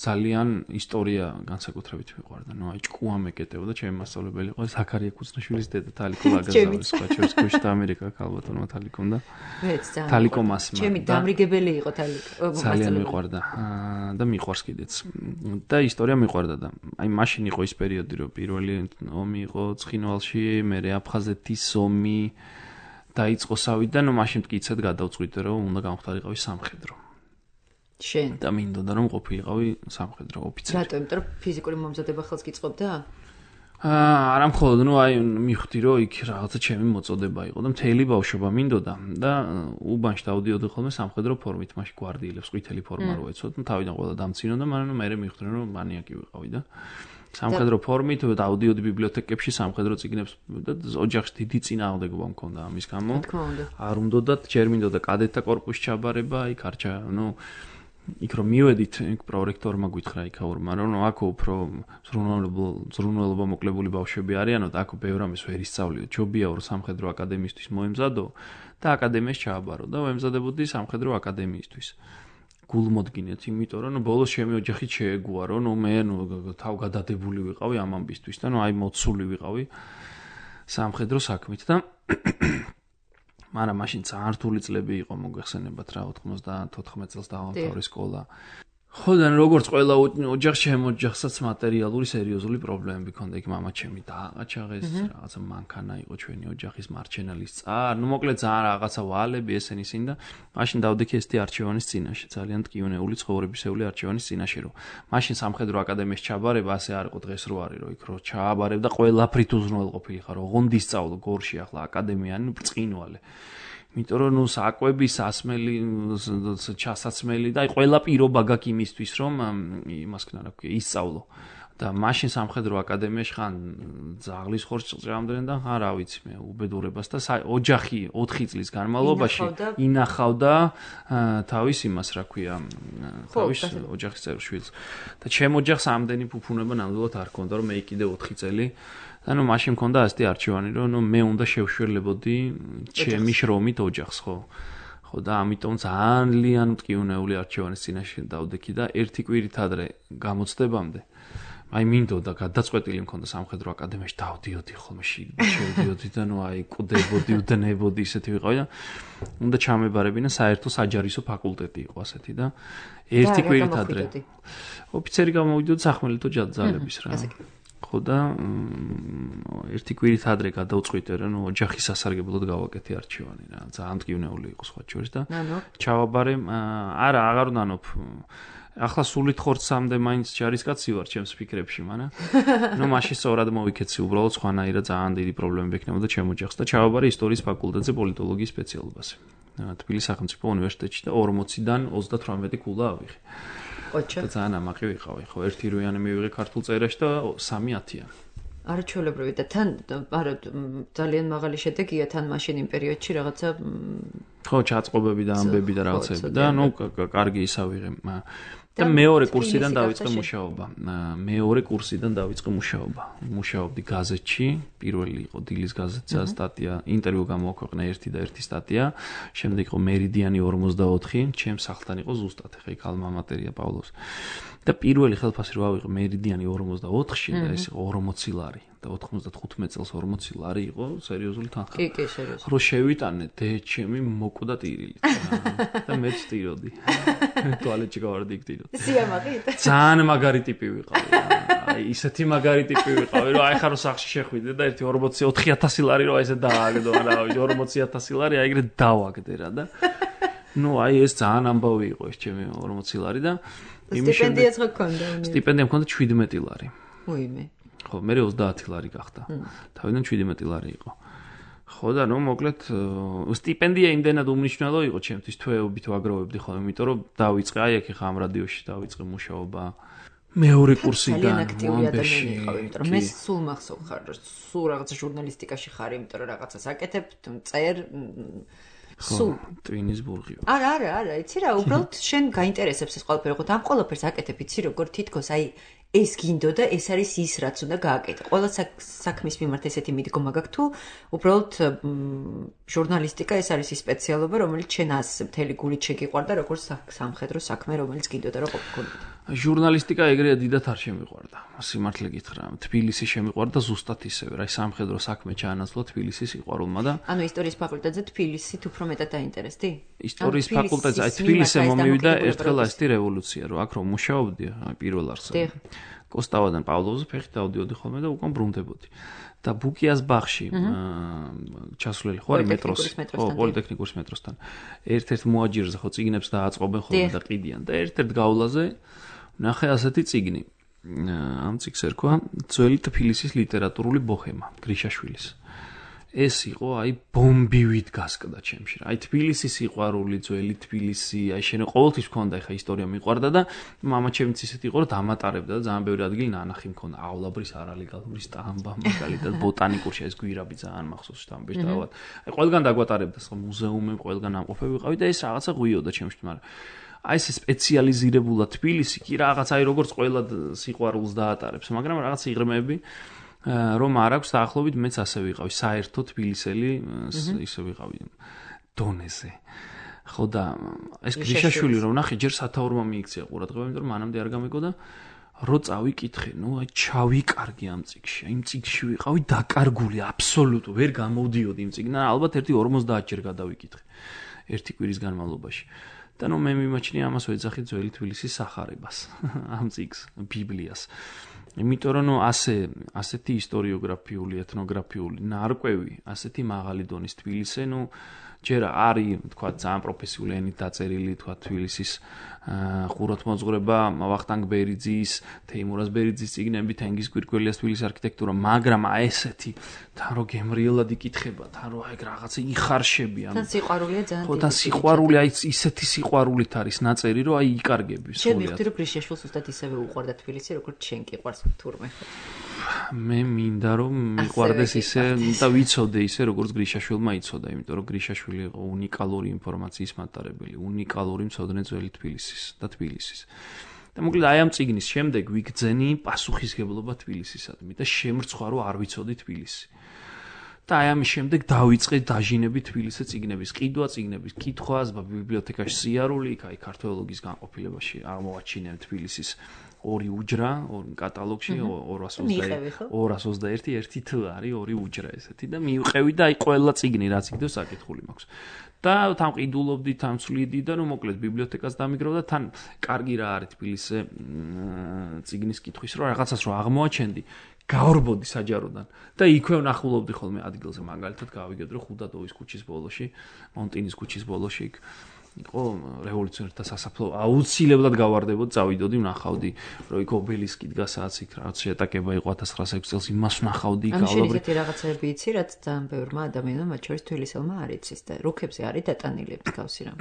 ძალიან ისტორია განსაკუთრებით ვიყვარდა. ნუ აი ჭკუა მეკეტეოდა, ჩემი მასწავლებელი იყო ზაქარია კუცნაშვილის დედა თალიკო ლაგაზავის, სხვა ჩვენს კუშთა ამერიკა ქალბატონმა თალიკომ და მეც ძალიან თალიკო მასმა. ჩემი დამრიგებელი იყო თალიკო. ძალიან მიყვარდა და მიყვარს კიდეც. და ისტორია მიყვარდა და აი მაშინ იყო ის პერიოდი, რომ პირველი ომი იყო ცხინვალში, მერე აფხაზეთის ომი დაიწყო სავიდან, ნუ მაშინ მткиცად გადავწყვიტე, რომ უნდა გამختارიყავი სამხედრო. შენ და მინდოდა რომ ყოფილიყავი სამხედრო ოფიცერი. რატო? იმიტომ რომ ფიზიკური მომზადება ხელს გიწყობდა? არა მხოლოდ, ნუ აი მივხვდი რომ იქ რაღაცა ჩემი მოწოდება იყო და მთელი ბავშვობა მინდოდა და უბანში დავდიოდი ხოლმე სამხედრო ფორმით, მაშინ გვარდიელებს ყვითელი ფორმა რო ეცოთ, ნუ თავიდან ყველა დამცინოდა, მაგრამ მე მივხვდი რომ მანიაკი ვიყავი და სამხედრო ფორმით დავდიოდი ბიბლიოთეკებში სამხედრო წიგნებს და ოჯახში დიდი წინააღმდეგობა მქონდა ამის გამო. არ უნდათ, ჯერ მინდოდა კადეტთა კორპუსში ჩაბარება, იქ არჩა, ნუ იქ რომ მივედით, იქ პრორექტორმა გითხრა იქაურმა, რომ აქ უფრო ზრუნველობა მოკლებული ბავშვები არიანო და აქ ბევრ ამის ვერ ისწავლიო. ჯობია რომ სამხედრო აკადემიისთვის მოემზადო და აკადემიაში ჩააბარო და ვემზადებოდი სამხედრო აკადემიისთვის. გულმოდგინეთ, იმიტომ რომ ბოლოს ჩემი ოჯახით შეეგუა, რომ მე თავგადადებული ვიყავი ამ ამბისთვის და აი მოცული ვიყავი სამხედრო საქმით და მაგრამ მაშინ ძალიან რთული წლები იყო, მოგეხსენებათ რა, 94 წელს დავამთავრე სკოლა. ხო და როგორც ყველა ოჯახში, ჩემ ოჯახსაც მატერიალური სერიოზული პრობლემები ჰქონდა. იქ მამა ჩემი დააყაჩაღეს, რაღაცა მანქანა იყო ჩვენი ოჯახის მარჩენალის წარ. ნუ მოკლედ ძალიან რაღაცა ვალები ესენი სინ და მაშინ დავდექი ესეთი არჩევანის წინაშე, ძალიან ტკივნეული ცხოვრებისეული არჩევანის წინაშე, რომ მაშინ სამხედრო აკადემიაში ჩაბარება ასე არ იყო დღეს რო არის, რომ იქ რო ჩააბარებ და ყველაფრით უზრუნველყოფილი ხარ, ოღონდ ისწავლო გორში ახლა აკადემიანი ბრწყინვალე. იმიტომ რომ ნუ საკვები, სასმელი, ჩასაცმელი და აი ყველა პირობა გაქვს იმისთვის, რომ იმას ქნა რა ქვია, ისწავლო. და მაშინ სამხედრო აკადემიაში ხან ძაღლის ხორცს ჭამდნენ და ხან რა ვიცი მე უბედურებას და ოჯახი 4 წლის განმავლობაში ინახავდა თავის იმას რა ქვია, თავის ოჯახის წევრ შვილს. და ჩემ ოჯახს ამდენი ფუფუნება ნამდვილად არ ჰქონდა, რომ მე კიდე 4 წელი და ნუ მაშინ მქონდა ასეთი არჩევანი, რომ ნუ მე უნდა შევშველებოდი ჩემი შრომით ოჯახს, ხო? ხო და ამიტომ ძალიან მტკივნეული არჩევანის წინაშე დავდექი და ერთი კვირით ადრე გამოცდებამდე აი მინდოდა გადაწყვეტილი მქონდა სამხედრო აკადემიაში დავდიოდი ხოლმე შევდიოდი და ნუ აი კუდებოდი, უდნებოდი ისეთი ვიყავი და უნდა ჩამებარებინა საერთო საჯარისო ფაკულტეტი იყო ასეთი და ერთი კვირით ადრე ოფიცერი გამოვიდოდა სახმელეთო ძალების რა. ხო და ერთი კვირით ადრე გადავწყვიტე რომ ოჯახის სასარგებლოდ გავაკეთე არჩევანი რა. ძალიან მტკივნეული იყო სხვა შორის და ჩავაბარე, არა, აღარ ვნანობ ახლა სულით ხორცამდე მაინც ჯარისკაცი ვარ ჩემს ფიქრებში, მაგრამ ნუ მაშინ სწორად მოვიქეცი, უბრალოდ სხვანაირად ძალიან დიდი პრობლემები ექნებოდა ჩემ ოჯახს და ჩავაბარე ისტორიის ფაკულტეტზე პოლიტოლოგიის სპეციალობაზე. თბილისის სახელმწიფო უნივერსიტეტში და 40-დან 38 კულა ავიღე. ოჩა. და ძალიან ამაყი ვიყავი, ხო, 1 რუიანი მივიღე ქართულ წერაში და 3 10-იანი. არაჩვეულებრივი და თან არა ძალიან მაღალი შედეგია თან მაშინ იმ პერიოდში რაღაცა ხო ჩაწყობები და ამბები და რაღაცები და ნუ კარგი ისავიღე და მეორე კურსიდან დავიწყე მუშაობა. მეორე კურსიდან დავიწყე მუშაობა. მუშაობდი გაზეთში, პირველი იყო დილის გაზეთსა სტატია, ინტერვიუ გამოაქვეყნა 1 და 1 სტატია, შემდეგ იყო მერიდიანი 44, ჩემს სახლთან იყო ზუსტად ხა იქ ალმა მატერია პავლოს. და პირველი ხელფასი რო ავიღე მერიდიანი 44-ში და ეს იყო 40 ლარი და 95 წელს 40 ლარი იყო სერიოზული თანხა. კი, სერიოზული. რო შევიტანე დე ჩემი მოკვდა ტირილი და მე ვტიროდი. ტუალეტში გავარდი იქ ტიროდი. სიამაყით. ძალიან მაგარი ტიპი ვიყავი. აი ისეთი მაგარი ტიპი ვიყავი, რომ აი ხარ სახში შეხვიდე და 40000 ლარი რო აი ესე დააგდო, არა 40000 ლარი აი ეგრე დავაგდე რა და ნუ აი ეს ძალიან ამბავი იყო ეს ჩემი 40 ლარი და სტიპენდიაც გქონდა. სტიპენდია მქონდა 17 ლარი. უიმე. ხო, მე 30 ლარი გახდა. თავიდან 17 ლარი იყო. ხო და ნუ მოკლედ სტიპენდია იმდენად უმნიშვნელო იყო ჩემთვის თვეობით ვაგროვებდი ხოლმე, იმიტომ რომ დავიწყე აი აქ ხა ამ რადიოში დავიწყე მუშაობა. მეორე კურსიდან ძალიან აქტიური ადამიანი იყავი, იმიტომ რომ მე სულ მახსოვ ხარ, სულ რაღაც ჟურნალისტიკაში ხარ, იმიტომ რომ რაღაცას აკეთებ, წერ სულ ტვინისბურგი. არა, იცი რა, უბრალოდ შენ გაინტერესებს ეს ყველაფერი, ხო, ამ ყველაფერს აკეთებ, იცი როგორ თითქოს აი ეს გინდო და ეს არის ის რაც უნდა გააკეთე. ყველა საქმის მიმართ ესეთი მიდგომა გაქვს თუ უბრალოდ ჟურნალისტიკა ეს არის ის სპეციალობა, რომელიც შენ ასე მთელი გულით შეგიყვარდა, როგორც სამხედრო საქმე, რომელიც გინდოდა რომ ყოფილიყო. ჟურნალისტიკა ეგრეა დიდად არ შემიყვარდა. სიმართლე გითხრა, თბილისი შემიყვარდა ზუსტად ისევე, რა სამხედრო საქმე ჩაანაცვლა თბილისის სიყვარულმა და ანუ ისტორიის ფაკულტეტზე თბილისით უფრო მეტად დაინტერესდი? ისტორიის ფაკულტეტზე აი თბილისზე მომივიდა ერთხელ ასეთი რევოლუცია, რომ აქ რომ მუშაობდი, აი პირველ არსად. კოსტავადან პავლოვზე ფეხით დავდიოდი ხოლმე და უკან ბრუნდებოდი. და ბუკიას ბაღში ჩასვლელი ხო არის მეტროსი, ხო, პოლიტექნიკურის მეტროსთან. ერთ-ერთ მოაჯირზე ხო წიგნებს დააწყობენ ხოლმე და ყიდიან და ერთ-ერთ გავლაზე ნახე ასეთი წიგნი. ამ წიგნს ერქვა ძველი თბილისის ლიტერატურული ბოჰემა გრიშაშვილის. ეს იყო აი ბომბივით გასკდა ჩემში. აი თბილისის სიყვარული, ძველი თბილისი, აი შენ ყოველთვის მქონდა ხა ისტორია მიყვარდა და მამა ჩემიც ისეთი იყო რომ დამატარებდა და ძალიან ბევრი ადგილი ნანახი მქონდა. ავლაბრის არალეგალური სტამბა, მაგალითად ბოტანიკურში ეს გვირაბი ძალიან მახსოვს სტამბის დავად. აი ყველგან დაგვატარებდა სხვა მუზეუმები, ყველგან ამყოფები ვიყავი და ეს რაღაცა ღვიოდა ჩემში, მაგრამ აი ეს სპეციალიზირებულად თბილისი კი რაღაც აი როგორც ყველა სიყვარულს დაატარებს, მაგრამ რაღაც იღრმები რომ არ აქვს დაახლოებით მეც ასე ვიყავი საერთო თბილისელი ისე ვიყავი დონეზე ხო და ეს გრიშაშვილი რომ ნახე ჯერ სათაურმა მიიქცია ყურადღება იმიტომ რომ მანამდე არ გამიგო და რო წავიკითხე ნუ აი ჩავიკარგი ამ წიგში იმ წიგში ვიყავი დაკარგული აბსოლუტურად ვერ გამოვდიოდი იმ წიგნიდან ალბათ ერთი 50 ჯერ გადავიკითხე ერთი კვირის განმავლობაში და ნუ მე მიმაჩნია ამას ვეძახი ძველი თბილისის სახარებას ამ წიგს ბიბლიას იმიტომ რომ ასეთი ისტორიოგრაფიული, ეთნოგრაფიული ნარკვევი, ასეთი მაღალი დონის თბილისზე, ჯერ არის, თქვა, ძალიან პროფესიული ენით დაწერილი, თქვა, თბილისის ხუროთმოძღვრება, ვახტანგ ბერიძის, თეიმურაზ ბერიძის წიგნები, თენგიზ გვირგველიას თბილისის არქიტექტურა, მაგრამ აი ესეთი, თან რო გემრიელად იკითხება, თან რო აი რაღაცა იხარშები, ანუ თან სიყვარულია ძალიან დიდი. და სიყვარული, აი ისეთი სიყვარულით არის ნაწერი, რომ აი იკარგები სულიად. შენ მივხვდი, რომ გრიშაშვილს უბრალოდ ისევე უყვარდა თბილისი, როგორც შენ კი ყვარს თურმე. მე მინდა რომ მიყვარდეს ისე და ვიცოდე ისე როგორც გრიშაშვილმა იცოდა, იმიტომ რომ გრიშაშვილი იყო უნიკალური ინფორმაციის მატარებელი, უნიკალური მცოდნე ძველი თბილისის და თბილისის. და მოკლედ აი ამ წიგნის შემდეგ ვიგძენი პასუხისგებლობა თბილისისადმი და შემრცხვა რომ არ ვიცოდი თბილისი. და აი ამის შემდეგ დავიწყე დაჟინები თბილისზე წიგნების ყიდვა, წიგნების კითხვა, ბიბლიოთეკაში სიარული, აი ქართველოგის განყოფილებაში აღმოვაჩინე თბილისის ორი უჯრა, კატალოგში 221 ერთი თ არის ორი უჯრა ესეთი და მივყევი და აი ყველა წიგნი რაც იქნებს საკითხული მაქვს. და თან ყიდულობდი, თან ვცვლიდი და მოკლედ ბიბლიოთეკას დამიგროვ და თან კარგი რა არის თბილისზე წიგნის კითხვის რომ რაღაცას რომ აღმოაჩენდი გავრბოდი საჯაროდან და იქვე ვნახულობდი ხოლმე ადგილზე მაგალითად გავიგეთ რომ ხუდადოვის ქუჩის ბოლოში, მონტინის ქუჩის ბოლოში იქ იყო რევოლუციონერთა სასაფლაო აუცილებლად გავარდებოდი, წავიდოდი, ვნახავდი, რომ იქ ობელისკი დგას, რაც იქ რაღაც შეტაკება იყო 1906 წელს, იმას ვნახავდი, გავლებრი. ამ შეიძლება რაღაცები იცი, რაც ძალიან ბევრმა ადამიანმა, მათ შორის თბილისელმა არ იცის და რუქებზე არის დატანილი მსგავსი რამ.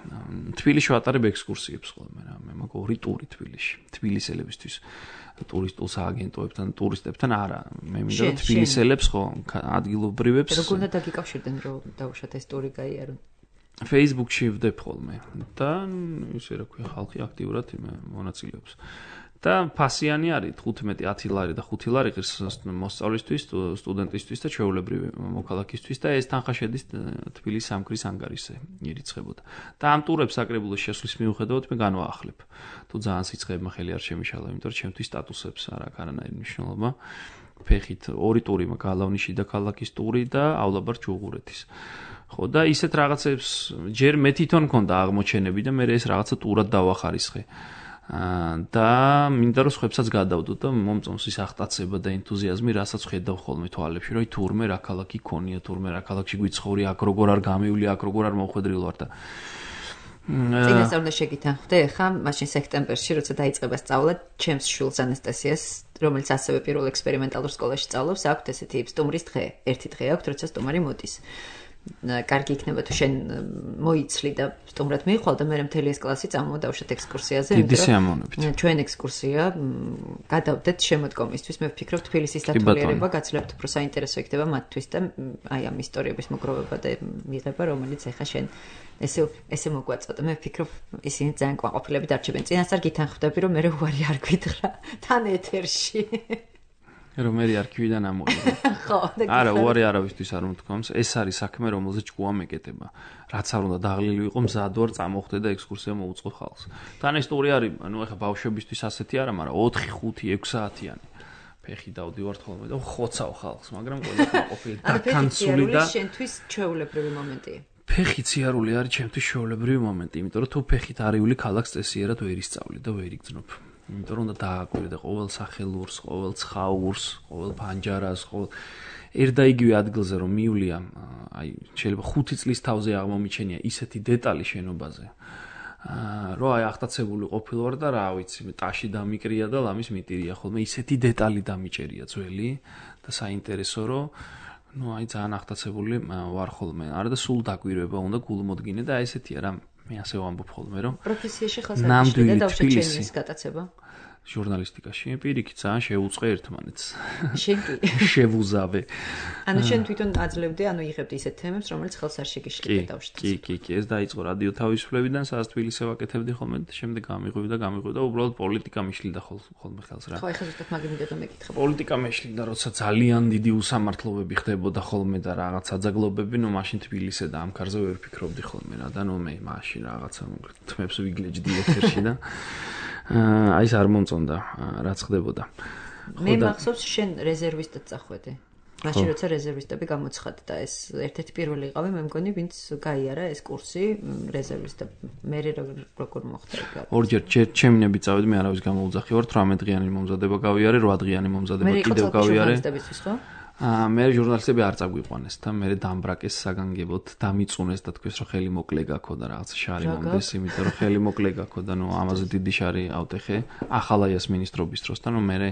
თბილისში ვატარებ ექსკურსიებს ხოლმე რა, მე მაქვს 2 ტური თბილისში, თბილისელებისთვის. ტურისტულ სააგენტოებთან, ტურისტებთან არა. მე მინდა რომ თბილისელებს ხო ადგილობრივებს. როგორ უნდა დაგიკავშირდნენ რომ დაუშვათ ეს ტური გაიარონ? Facebook-ში ვდებ ხოლმე და ისე რა ქვია, ხალხი აქტიურად მონაწილეობს. და ფასიანი არის 15-10 ლარი და 5 ლარი ღირს მოსწავლისთვის, სტუდენტისთვის და ჩვეულებრივი მოქალაქისთვის და ეს თანხა შედის თბილისის სამგრის ანგარიშზე ირიცხებოდა. და ამ ტურებს საკრებულოს შესვლის მიუხედავად მე განვაახლებ. თუ ძალიან სიცხეებმა ხელი არ შემიშალა, იმიტომ რომ ჩემთვის სტატუსებს არ აქვს არანაირი მნიშვნელობა. ფეხით 2 ტური მაქვს, გალავნის შიდა ქალაქის ტური დაავლაბარ ჯუღურეთის. ხო და ისეთ რაღაცებს ჯერ მე თვითონ მქონდა აღმოჩენები და მე ეს რაღაცა ტურად დავახარისხე. და მინდა რომ სხვებსაც გადავდო და მომწონს ის აღტაცება და ენთუზიაზმი, რასაც ხედავ ხოლმე თვალებში, რომ თურმე რა ქალაქი ქონია, თურმე რა ქალაქში გვიცხოვრი, აქ როგორ არ გამივლი, აქ როგორ არ მოხვედრილ ვარ და წინასწარ უნდა შეგითანხმდე ხა მაშინ სექტემბერში, როცა დაიწყება სწავლა, ჩემს შვილს ანასტასიას, რომელიც ასევე პირველ ექსპერიმენტალურ სკოლაში სწავლობს, აქვს ესეთი სტუმრის დღე. ერთი დღე აქვს, როცა სტუმარი მოდის. კარგი იქნება თუ შენ მოიცლი და სტუმრად მიიხვალ და მე მთელი ეს კლასი წამოვდავშეთ ექსკურსიაზე. დიდი სიამოვნებით. ჩვენ ექსკურსია გადავდეთ შემოდგომისთვის. მე ვფიქრობ თბილისის დათვალიერება გაცილებით უფრო საინტერესო იქნება მათთვის და აი ამ ისტორიების მოგროვება და მიღება, რომელიც ეხა შენ ესე მოგვაწოდა. მე ვფიქრობ ისინი ძალიან კვაყოფილები დარჩებენ. წინასწარ გითანხმდები რომ მე უარი არ გითხრა თან ეთერში. რომ მე არქივიდან ამოვიდა. ხო, არა, უარი არავისთვის არ მომთქვამს. ეს არის საქმე, რომელზეც ჭკუა მეკეტება. რაც არ უნდა დაღლილი ვიყო, მზად ვარ წამოხდე და ექსკურსია მოუწყო ხალხს. თან ეს ტური არის, ანუ ეხა ბავშვებისთვის ასეთი არა, მაგრამ 4, 5, 6 საათიანი. ფეხი დავდივართ ხოლმე და ხოცავ ხალხს, მაგრამ ყველა ყოფილი დაკანცული და შენთვის ჩვეულებრივი მომენტია. ფეხი ციარული არის ჩემთვის ჩვეულებრივი მომენტი, იმიტომ რომ თუ ფეხით არიული ქალაქს წესიერად ვერ ისწავლი და ვერ იგრძნობ. იმიტომ რომ უნდა დააკვირდე და ყოველ სახელურს, ყოველ ცხაურს, ყოველ ფანჯარას, ყოველ ერთდაიგივე ადგილზე რომ მივლია, აი შეიძლება 5 წლის თავზე აღმომიჩენია ისეთი დეტალი შენობაზე. რომ აი აღტაცებული ყოფილვარ და რა ვიცი, ტაში დამიკრია და ლამის მიტირია ხოლმე ისეთი დეტალი დამიჭერია ძველი და საინტერესო რომ ნუ აი ძალიან აღტაცებული ვარ ხოლმე. არა და სულ დაკვირვება უნდა გულმოდგინე და ესეთია რა მე ასე ვამბობ ხოლმე რომ პროფესიაში ხალხს და დავშეჩენის გატაცება ჟურნალისტიკაში პირიქით ძალიან შეუწყე ერთმანეთს. შენ კი შევუზავე. ანუ შენ თვითონ აძლევდე, ანუ იღებდი ისეთ თემებს, რომელიც ხელს არ შეგიშლება დავშეჩეს. კი, ეს დაიწყო რადიო თავისუფლებიდან, სადაც თბილისზე ვაკეთებდი ხოლმე და შემდეგ გამიღვივდა და უბრალოდ პოლიტიკა მიშლიდა ხოლმე ხელს რა. ხო, ეხლა ზუსტად მაგ იმედად მეკითხა. პოლიტიკა მეშლიდა, როცა ძალიან დიდი უსამართლობები ხდებოდა ხოლმე და რაღაც საძაგლობები, ნუ მაშინ თბილისზე და ამ კარზე ვერ ფიქრობდი ხოლმე რა და ნუ მე მაშინ რაღაცა თმებს ვიგლეჯდი ეთერში და აი ეს არ მომწონდა რაც ხდებოდა. მე მახსოვს შენ რეზერვისტად წახვედი. მაშინ როცა რეზერვისტები გამოცხადდა და ეს ერთ-ერთი პირველი იყავი, მე მგონი, ვინც გაიარა ეს კურსი რეზერვისტად. მე როგორ მოხდა ეგ? ორჯერ ჩემნები წავედი, მე არავის გამოვუძახი ვარ, 18 დღიანი მომზადება გავიარე, 8 დღიანი მომზადება კიდევ გავიარე. მე ჟურნალისტები არ წაგვიყვანეს და მე დამბრაკეს საგანგებოდ, დამიწუნეს და თქვეს რომ ხელი მოკლე გაქო და რაღაც შარი მომდეს, იმიტომ რომ ხელი მოკლე გაქო და ნუ ამაზე დიდი შარი ავტეხე ახალაიას მინისტრობის დროს და ნუ მე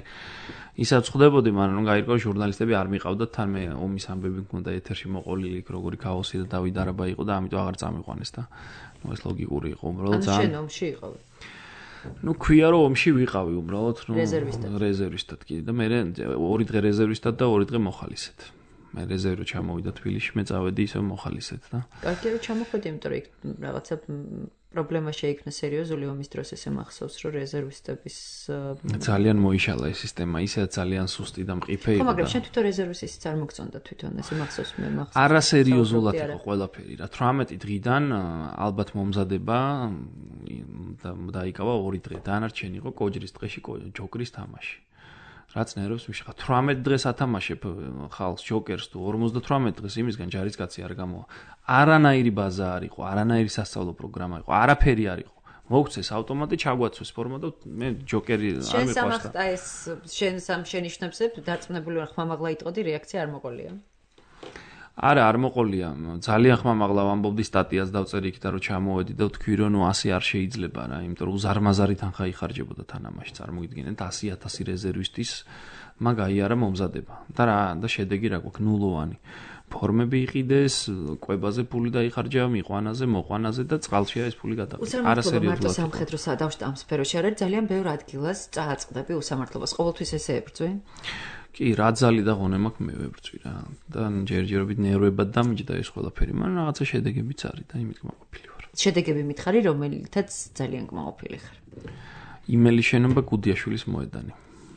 ისაც ხვდებოდი, მაგრამ ნუ გაირკვა ჟურნალისტები არ მიყავდათ, თან მე ომის ამბები მქონდა ეთერში მოყოლილი, როგორი ქაოსი და დავით არაბა იყო და ამიტომ აღარ წამიყვანეს და ნუ ეს ლოგიკური იყო, უბრალოდ ძალიან. ან შენ ომში იყავი? ნუ ქვია რომ ომში ვიყავი უბრალოდ ნუ რეზერვისტად კი და მე 2 დღე რეზერვისტად და 2 დღე მოხალისედ. მე რეზერვი ჩამოვიდა თბილისში, მე წავედი ისე მოხალისედ და კარგი რომ ჩამოხვედი, იმიტომ რომ რაღაცა პრობლემა შეიქმნა სერიოზული ომის დროს, ესე მახსოვს რომ რეზერვისტების ძალიან მოიშალა ეს სისტემა, ისე ძალიან სუსტი და მყიფე იყო. ხო, მაგრამ შენ თვითონ რეზერვისტიც არ მოგწონდა თვითონ, ესე მახსოვს მე მახსოვს. არასერიოზულად იყო ყველაფერი რა. 18 დღიდან ალბათ მომზადება დაიკავა 2 დღე. დანარჩენი იყო კოჯრის დღეში ჯოკრის თამაში. რაც ნერვებს მიშხა 18 დღეს ათამაშებ ხალხს ჯოკერს თუ 58 დღეს იმისგან ჯარისკაცი არ გამოვა. არანაირი ბაზა არ იყო, არანაირი სასწავლო პროგრამა იყო, არაფერი არ იყო. მოგცეს ავტომატი ჩაგვაცვეს ფორმა და მე ჯოკერი არ მიყვარს. შენ სამახტა ეს შენ სამ შენიშნებზე დარწმუნებული ვარ, ხმამაღლა იტყოდი რეაქცია არ მოყოლია. არ მოყოლია. ძალიან ხმამაღლა ვამბობდი სტატიას დავწერი იქ და რომ ჩამოვედი და ვთქვი რომ ნუ 100 არ შეიძლება რა, იმიტომ რომ უზარმაზარი თანხა იხარჯებოდა თამაში. წარმოგიდგენთ 100,000 რეზერვისტის მაგ აიარა მომზადება. და შედეგი რა გვაქვს ნულოვანი. ფორმები იყიდეს, კვებაზე ფული დაიხარჯა, მიყვანაზე, მოყვანაზე და წყალშია ეს ფული გადავიდა. არასერიოზულად. მარტო სამხედრო სადავშტ ამ სფეროში არის ძალიან ბევრ ადგილას წააწყდები უსამართლობას. ყოველთვის ესე ებრძვი? კი, რა ძალი და ღონე მაქვს მე ვებრძვი რა. და ჯერჯერობით ნერვებად დამიჯდა ეს ყველაფერი, მაგრამ რაღაცა შედეგებიც არის და იმით კმაყოფილი ვარ. შედეგები მითხარი, რომელითაც ძალიან კმაყოფილი ხარ. იმელი შენობა გუდიაშვილის მოედანი.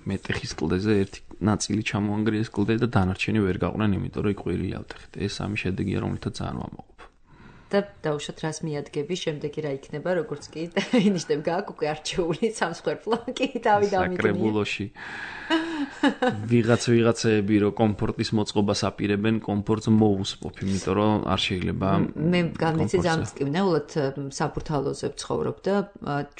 მეტეხის კლდეზე ერთი ნაწილი ჩამოანგრიეს კლდე და დანარჩენი ვერ გაყვნენ, იმიტომ რომ იყვირილი ავტეხით. ეს სამი შედეგია, რომელთაც ძალიან ვამაყობ. და დაუშვათ რას მიადგები, შემდეგი რა იქნება, როგორც კი ინიშნებ გააქვს უკვე არჩეული სამსხვერპლო კი თავი დამიგნია. საკრებულოში ვიღაცები რომ კომფორტის მოწყობას აპირებენ, კომფორტს მოუსპობ, იმიტომ რომ არ შეიძლება. მე გამიცი დამწკივნეულად საბურთალოზე ვცხოვრობ და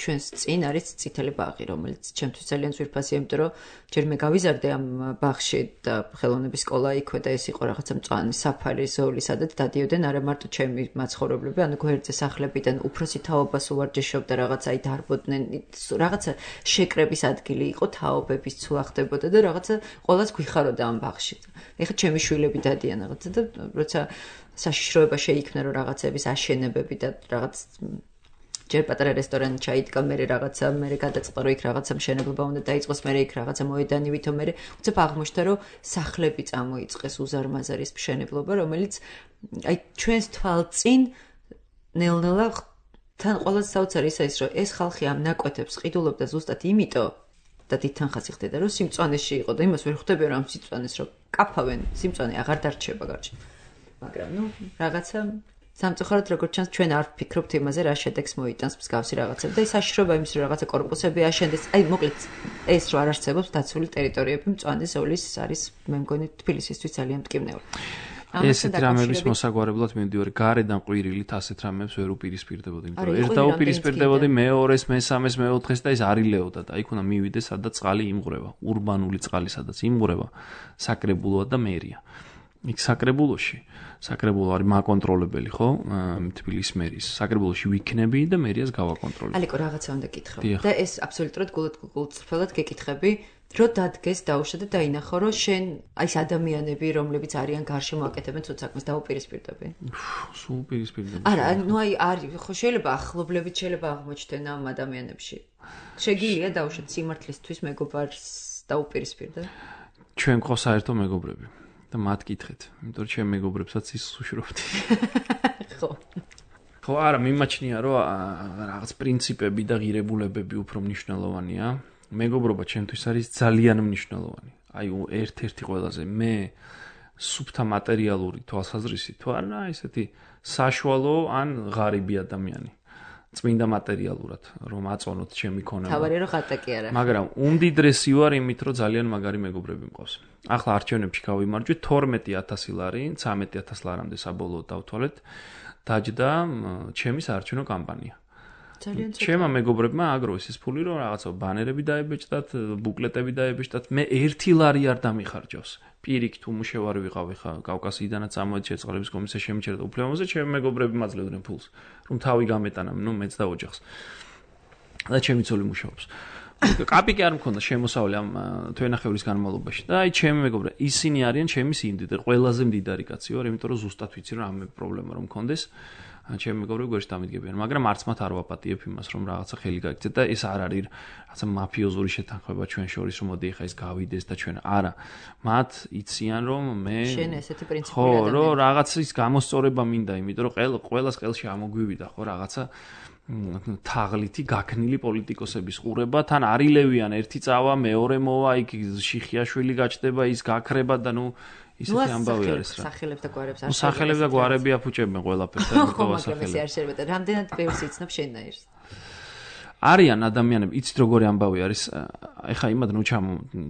ჩვენს წინ არის წითელი ბაღი, რომელიც ჩემთვის ძალიან ძვირფასია, იმიტომ რომ ჯერ მე გავიზარდე ამ ბაღში და ხელოვნების სკოლა იქვე და ეს იყო რაღაცა მწვანე საფარი ზოლი, სადაც დადიოდნენ არა მარტო ჩემი მაცხოვრებლები, ანუ გვერდზე სახლებიდან უფროსი თაობას უვარჯიშობდა, რაღაცა აი დარბოდნენ, რაღაცა შეკრების ადგილი იყო, თაობების ცულა ხდებოდა და რაღაცა ყველას გვიხაროდა ამ ბაღში. ეხლა ჩემი შვილები დადიან რაღაცა და როცა საშიშროება შეიქმნა რომ რაღაცების აშენებები და რაღაც ჯერ პატარა რესტორანი ჩაიდგა, მე რაღაცა მე გადაწყდა რომ იქ რაღაცა მშენებლობა უნდა დაიწყოს, მე იქ რაღაცა მოედანი ვითომ მე უცებ აღმოჩნდა რომ სახლები წამოიწყეს უზარმაზარი მშენებლობა, რომელიც აი ჩვენს თვალწინ ნელ-ნელა თან ყოველს საოცარი ის რომ ეს ხალხი ამ ნაკვეთებს ყიდულობდა ზუსტად იმიტომ და თითქოს ხდება რომ სიმწვანეში იყო და იმას ვერ ხვდები რომ სიმწვანეს რომ კაფავენ, სიმწვანე აღარ დარჩება გარჩ. მაგრამ ნუ რაღაცა სამწუხაროდ როგორც ჩანს ჩვენ არ ვფიქრობთ იმაზე რა შედეგს მოიტანს მსგავსი რაღაცები და ის საშიშროება იმის რომ რაღაცა კორპუსები აშენდეს. აი მოკლედ ეს რო არ არსებობს დაცული ტერიტორიები მწვანე ზოლის არის მე მგონი თბილისისთვის ძალიან მტკივნეული. ესეთ რამების მოსაგვარებლად მივდივარ გარედან ყვირილით ასეთ რამებს ვერ უპირისპირდებოდი, იმიტომ რომ ერთ დაუპირისპირდებოდი მეორეს, მესამეს, მეოთხეს და ეს არილეოდა და იქ უნდა მივიდეს სადაც წყალი იმღვრება, урბანული წყალი სადაც იმღვრება, საკრებულოა და მერია. იქ საკრებულო არის მაკონტროლებელი, ხო? თბილისის მერის. საკრებულოში ვიქნები და მერიას გავაკონტროლებ. ალიკო რაღაცა უნდა გითხრა. და ეს აბსოლუტურად გულწრფელად გეკითხები. რო დადგეს დაუშვა და დაინახო რომ შენ აი ეს ადამიანები რომლებიც არიან გარშემო აკეთებენ ცოტ საქმეს დაუპირისპირდები. სულ უპირისპირდები. არა, ნუ აი არის ხო შეიძლება ახლობლებით შეიძლება აღმოჩნდნენ ამ ადამიანებში. შეგიძლია დაუშვათ სიმართლისთვის მეგობარს დაუპირისპირდე? ჩვენ ყავს საერთო მეგობრები და მათ კითხეთ, იმიტომ რომ ჩემ მეგობრებსაც ის უშუქრობდი. ხო. ხო, არა, მიმაჩნია რომ რაღაც პრინციპები და ღირებულებები უფრო მნიშვნელოვანია. მეგობრობა ჩემთვის არის ძალიან მნიშვნელოვანი. აი ერთ-ერთი ყველაზე მე სუფთა მატერიალური თვალსაზრისით თუ არა ესეთი საშუალო ან ღარიბი ადამიანი. წმინდა მატერიალურად რომ აწონოთ ჩემი ქონება. თავარი რომ ხატაკი არა. მაგრამ უმდიდრესი ვარ იმით რომ ძალიან მაგარი მეგობრები მყავს. ახლა არჩევნებში გავიმარჯვე 12000 ლარი, 13000 ლარამდე საბოლოოდ დავთვალეთ. დაჯდა ჩემი საარჩევნო კამპანია. ჩემმა მეგობრებმა აგროვეს ეს ფული რომ რაღაცა ბანერები დაებეჭდათ, ბუკლეტები დაებეჭდათ. მე 1 ლარი არ დამიხარჯავს. პირიქით უმუშევარი ვიყავი ხა კავკასიიდანაც წამოედი შეწყალების კომისია შემიჩერდა უფლებამოზე, ჩემი მეგობრები მაძლევდნენ ფულს, რომ თავი გამეტანა, ნუ მეც და ოჯახს. და ჩემი ცოლი მუშაობს. კაპიკი არ მქონდა შემოსავლი ამ თვენახევრის განმავლობაში. და აი ჩემი მეგობრები, ისინი არიან ჩემი სიმდიდრე, ყველაზე მდიდარი კაცი ვარ, იმიტომ რომ ზუსტად ვიცი რომ ამ პრობლემა რომ მქონდეს. ჩემი მეგობრები გვერდში დამიდგებიან, მაგრამ არც მათ არ ვაპატიებ იმას, რომ რაღაცა ხელი გაიქცეთ და ეს არ არის რაღაცა მაფიოზური შეთანხმება ჩვენ შორის, რომ მოდი ახლა ეს გავიდეს და ჩვენ არა. მათ იციან, რომ მე შენ ესეთი პრინციპი ხო, რომ რაღაცის გამოსწორება მინდა, იმიტომ რომ ყველას ყელში ამოგვივიდა, ხო, რაღაცა თაღლითი გაქნილი პოლიტიკოსების ყურება, თან არილევიან ერთი წავა, მეორე მოვა, იქ შიხიაშვილი გაჩნდება, ის გაქრება და ნუ ისეთი ამბავი არის რა. სახელებს და გვარებს არ სახელებს და გვარები აფუჭებენ ყველაფერს და მიყოვა სახელები. არ შეიძლება. რამდენად ბევრს იცნობ შენაირს. არიან ადამიანები, იცით როგორი ამბავი არის. ეხა იმად ნუ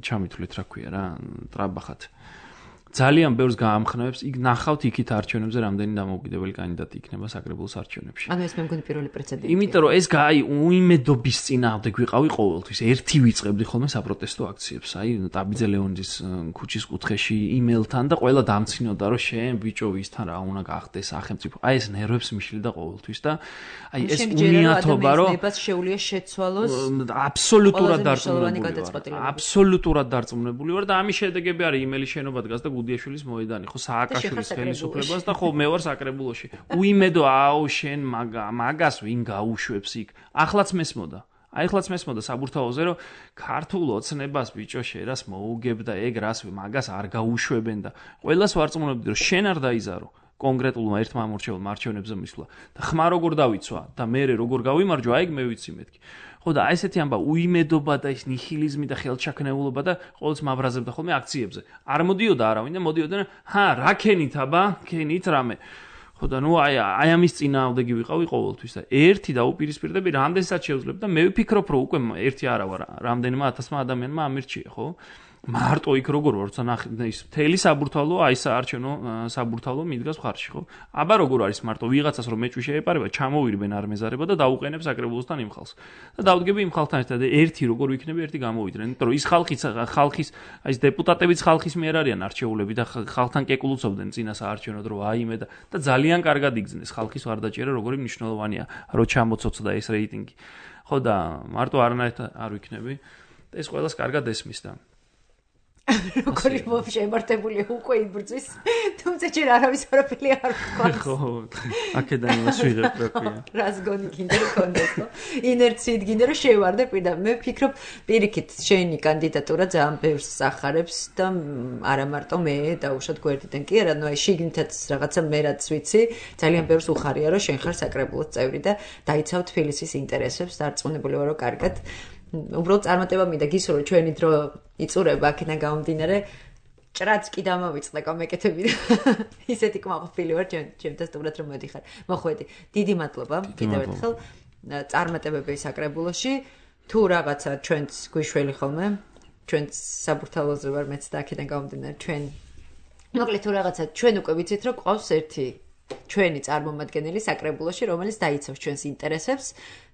ჩამითვლით რა ქვია რა, ტრაბახად. ძალიან ბევრს გაამხნევებს, იქ ნახავთ იქით არჩევნებზე რამდენი დამოუკიდებელი კანდიდატი იქნება საკრებულოს არჩევნებში. ანუ ეს მე მგონი პირველი პრეცედენტია. იმიტომ რომ ეს უიმედობის წინააღმდეგ ვიყავი ყოველთვის. ერთი ვიწყებდი ხოლმე საპროტესტო აქციებს. აი ტაბიძე ლეონიძის ქუჩის კუთხეში იმეილთან და ყველა დამცინოდა რომ შენ ბიჭო ვისთან რა უნდა გახდეს სახელმწიფო. აი ეს ნერვებს მიშლიდა ყოველთვის და აი ეს უნიათობა რომ შეუძლია შეცვალოს აბსოლუტურად დარწმუნებული ვარ და ამის შედეგები არის იმელის შენობა დგას და გუდიაშვილის მოედანი ხო სააკაშვილის ხელისუფლებას და ხო მე ვარ საკრებულოში უიმედო აუ შენ მაგას ვინ გაუშვებს იქ ახლაც მესმოდა საბურთალოზე რომ ქართულ ოცნებას ბიჭო შერას მოუგებ და ეგ რას მაგას არ გაუშვებენ და ყველას ვარწმუნებდი რომ შენ არ დაიზარო კონკრეტულმა ერთმა ამორჩეულმა არჩევნებზე მისვლა და ხმა როგორ დავიცვა და მე როგორ გავიმარჯვა აი მე ვიცი მეთქი ხო და აი ესეთი ამბა უიმედობა და ეს ნიჰილიზმი და ხელჩაქნეულობა და ყოველთვის მაბრაზებდა ხოლმე აქციებზე არ მოდიოდა არავინ და მოდიოდნენ რა ქენით აბა ქენით რამე ხო და ნუ აი ამის წინააღმდეგი ვიყავი ყოველთვის და ერთი დაუპირისპირდები რამდენსაც შევძლებ და მე ვფიქრობ რომ უკვე ერთი არა ვარ რამდენმა ათასმა ადამიანმა ამირჩია ხო მარტო იქ როგორ ვარ როცა ის მთელი საბურთალო აი საარჩევნო საბურთალო მიდგას მხარში ხო აბა როგორ არის მარტო ვიღაცას რომ მეჭვი შეეპარება ჩამოვირბენ არ მეზარება და დაუყენებს საკრებულოსთან იმ ხალხს და დავდგები იმ ხალხთან ერთად ერთი როგორ ვიქნები ერთი გამოვიდნენ იმიტომ რომ ის ხალხის აი ეს დეპუტატებიც ხალხის მიერ არიან არჩეულები და ხალხთან კეკულუცობდნენ წინა საარჩევნოდ რომ აიმე და ძალიან კარგად იგრძნეს ხალხის ვარდაჭერა როგორი მნიშვნელოვანია რომ ჩამოცოცხლდა ეს რეიტინგი ხო და მარტო არანაირად არ ვიქნები ეს ყველას კარგად ესმის და როგორი შემართებულია უკვე იბრძვის თუმცა ჯერ არავის არაფერი არ ვთქვას ხო აქედან იმას ვიღებ რა ქვია რას გონი გინდა რომ კონდეს ხო ინერციით გინდა რომ შევარდე პირდა მე ვფიქრობ პირიქით შენი კანდიდატურა ძალიან ბევრს სახარებს და არა მარტო მე დაუშვათ გვერდიდან კი არა ნუ აი შიგნითაც რაღაცა მე რაც ვიცი ძალიან ბევრს უხარია რომ შენ ხარ საკრებულოს წევრი და დაიცავ თბილისის ინტერესებს დარწმუნებული ვარ რომ კარგად უბრალოდ წარმატება მინდა გისურვო ჩვენი დრო იწურება აქედან გამომდინარე ჭრაც კი დამოვიწყდა კომეკეთები ისეთი კმაყოფილი ვარ ჩემთან სტუმრად რომ მოდიხარ მოხვედი დიდი მადლობა კიდევ ერთხელ წარმატებები საკრებულოში თუ რაღაცა ჩვენც გვიშველი ხოლმე ჩვენც საბურთალოზე ვარ მეც და აქედან გამომდინარე ჩვენ მოკლედ თუ რაღაცა ჩვენ უკვე ვიცით რომ ყავს ერთი ჩვენი წარმომადგენელი საკრებულოში რომელიც დაიცავს ჩვენს ინტერესებს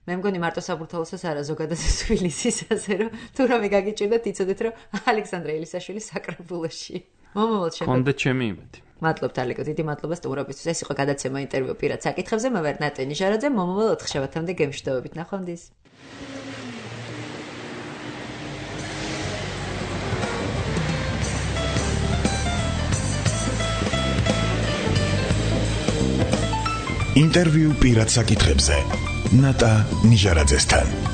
მე მგონი მარტო საბურთალოსაც არა ზოგადად თბილისისაზე რომ თუ რამე გაგიჭირდეთ იცოდეთ რომ ალექსანდრე ელისაშვილი საკრებულოში მომავალ შეხვედრაზე კონდეთ ჩემი იმედი მადლობთ ალეკო დიდი მადლობა სტუმრობისთვის ეს იყო გადაცემა ინტერვიუ პირად საკითხებზე მე ვარ ნატე ნიჟარაძე მომავალ 4 შაბათამდე გემშვიდობებით ნახვამდის ინტერვიუ პირად საკითხებზე ნატა ნიჟარაძესთან